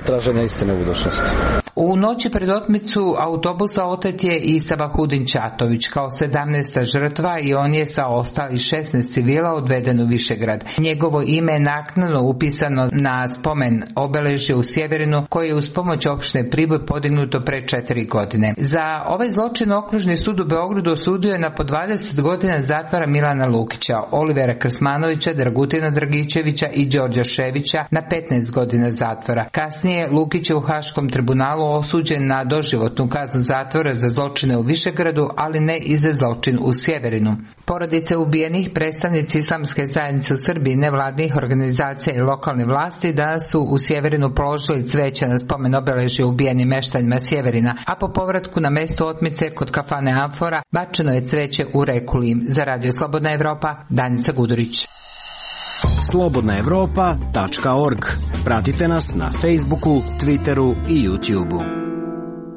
[SPEAKER 13] traženja istine u budućnosti.
[SPEAKER 19] U noći pred otmicu autobusa otet je i Sabahudin Čatović kao 17. žrtva i on je sa ostalih 16 civila odveden u Višegrad. Njegovo ime je naknadno upisano na spomen obeležje u Sjeverinu koje je uz pomoć opštine Priboj podignuto pre 4 godine. Za ovaj zločin okružni sud u Beogradu osudio je na po 20 godina zatvora Milana Lukića, Olivera Krsmanovića, Dragutina Dragičevića i Đorđa Ševića na 15 godina zatvora. Kasnije Lukić je u Haškom tribunalu osuđen na doživotnu kaznu zatvora za zločine u Višegradu, ali ne i za zločin u Sjeverinu. Porodice ubijenih, predstavnici islamske zajednice u Srbiji, nevladnih organizacija i lokalne vlasti danas su u Sjeverinu položili cveće na spomen obeležje ubijenim meštanjima Sjeverina, a po povratku na mesto otmice kod kafane Amfora bačeno je cveće u reku Lim. Za Radio Slobodna Evropa, Danica Gudurić.
[SPEAKER 23] slobodnaevropa.org. Pratite nas na Facebooku, Twitteru i YouTubeu.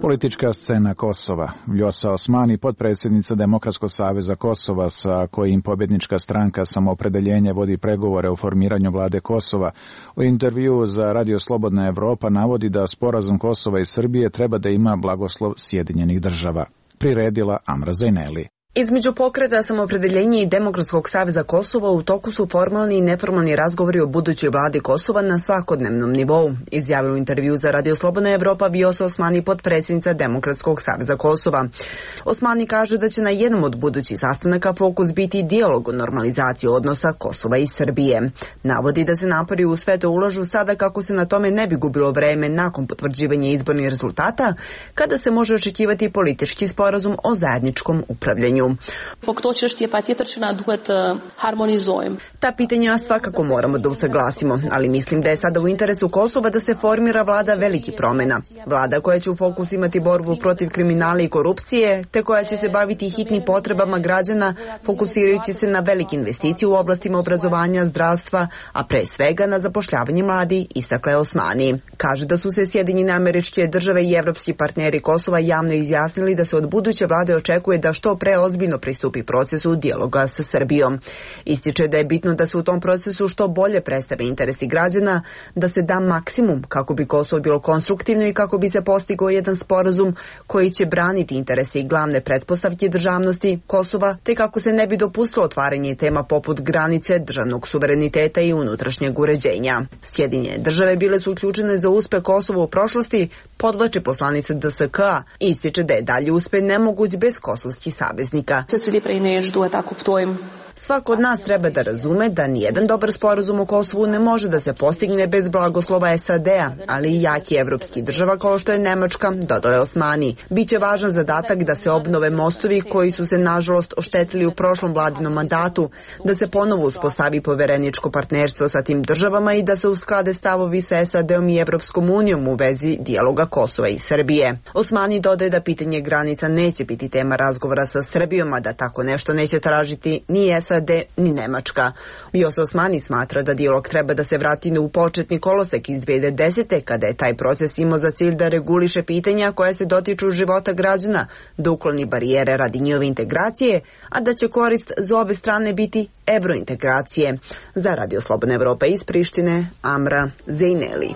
[SPEAKER 9] Politička scena Kosova. Vjosa Osmani, potpredsjednica Demokratskog saveza Kosova, sa kojim pobjednička stranka Samoopredeljenje vodi pregovore o formiranju vlade Kosova, u intervjuu za Radio Slobodna Evropa navodi da sporazum Kosova i Srbije treba da ima blagoslov Sjedinjenih država. Priredila Amra Zajneli.
[SPEAKER 14] Između pokreta Samoopredeljenje i Demokratskog saveza Kosova u toku su formalni i neformalni razgovori o budućoj vladi Kosova na svakodnevnom nivou, izjavila u intervju za Radio Slobodna Evropa Vjosa Osmani, potpredsjednica Demokratskog saveza Kosova. Osmani kaže da će na jednom od budućih sastanaka fokus biti dijalog o normalizaciji odnosa Kosova i Srbije. Navodi da se napori u sve to ulažu sada kako se na tome ne bi gubilo vreme nakon potvrđivanja izbornih rezultata, kada se može očekivati politički sporazum o zajedničkom upravljanju. Ta pitanja svakako moramo da usaglasimo, ali mislim da je sada u interesu Kosova da se formira vlada velikih promjena. Vlada koja će u fokus imati borbu protiv kriminala i korupcije, te koja će se baviti hitnim potrebama građana, fokusirajući se na velike investicije u oblastima obrazovanja, zdravstva, a pre svega na zapošljavanje mladi, istakla je Osmani. Kaže da su se Sjedinjene Američke Države i evropski partneri Kosova javno izjasnili da se od buduće vlade očekuje da što pre ozbiljno pristupi procesu dijaloga sa Srbijom. Ističe da je bitno da se u tom procesu što bolje predstave interesi građana, da se da maksimum kako bi Kosovo bilo konstruktivno i kako bi se postigao jedan sporazum koji će braniti interese i glavne pretpostavke državnosti Kosova, te kako se ne bi dopustilo otvaranje tema poput granice, državnog suvereniteta i unutrašnjeg uređenja. Sjedinjene države bile su uključene za uspeh Kosova u prošlosti, podvlači poslanica DSK-a i ističe da je dalje uspeh nemoguć bez kosovskih saveznika. Svako od nas treba da razume da nijedan dobar sporazum o Kosovu ne može da se postigne bez blagoslova SAD-a, ali i jaki evropski država kao što je Nemačka, dodale Osmani. Biće važan zadatak da se obnove mostovi koji su se nažalost oštetili u prošlom vladinom mandatu, da se ponovo uspostavi povereničko partnerstvo sa tim državama i da se usklade stavovi sa SAD-om i Evropskom unijom u vezi dijaloga Kosova i Srbije. Osmani dodaje da pitanje granica neće biti tema razgovora sa Srbijom, a da tako nešto neće tražiti ni SAD ni Nemačka. Vjosa Osmani smatra da dijalog treba da se vrati u početni kolosek iz 2010. kada je taj proces imao za cilj da reguliše pitanja koja se dotiču života građana, da ukloni barijere radi njihove integracije, a da će korist za obe strane biti evrointegracije. Za Radio Slobodna Evropa iz Prištine, Amra Zejneli.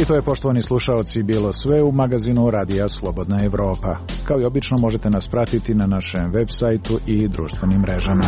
[SPEAKER 9] I to je, poštovani slušaoci, bilo sve u magazinu Radija Slobodna Evropa. Kao i obično možete nas pratiti na našem web sajtu i društvenim mrežama.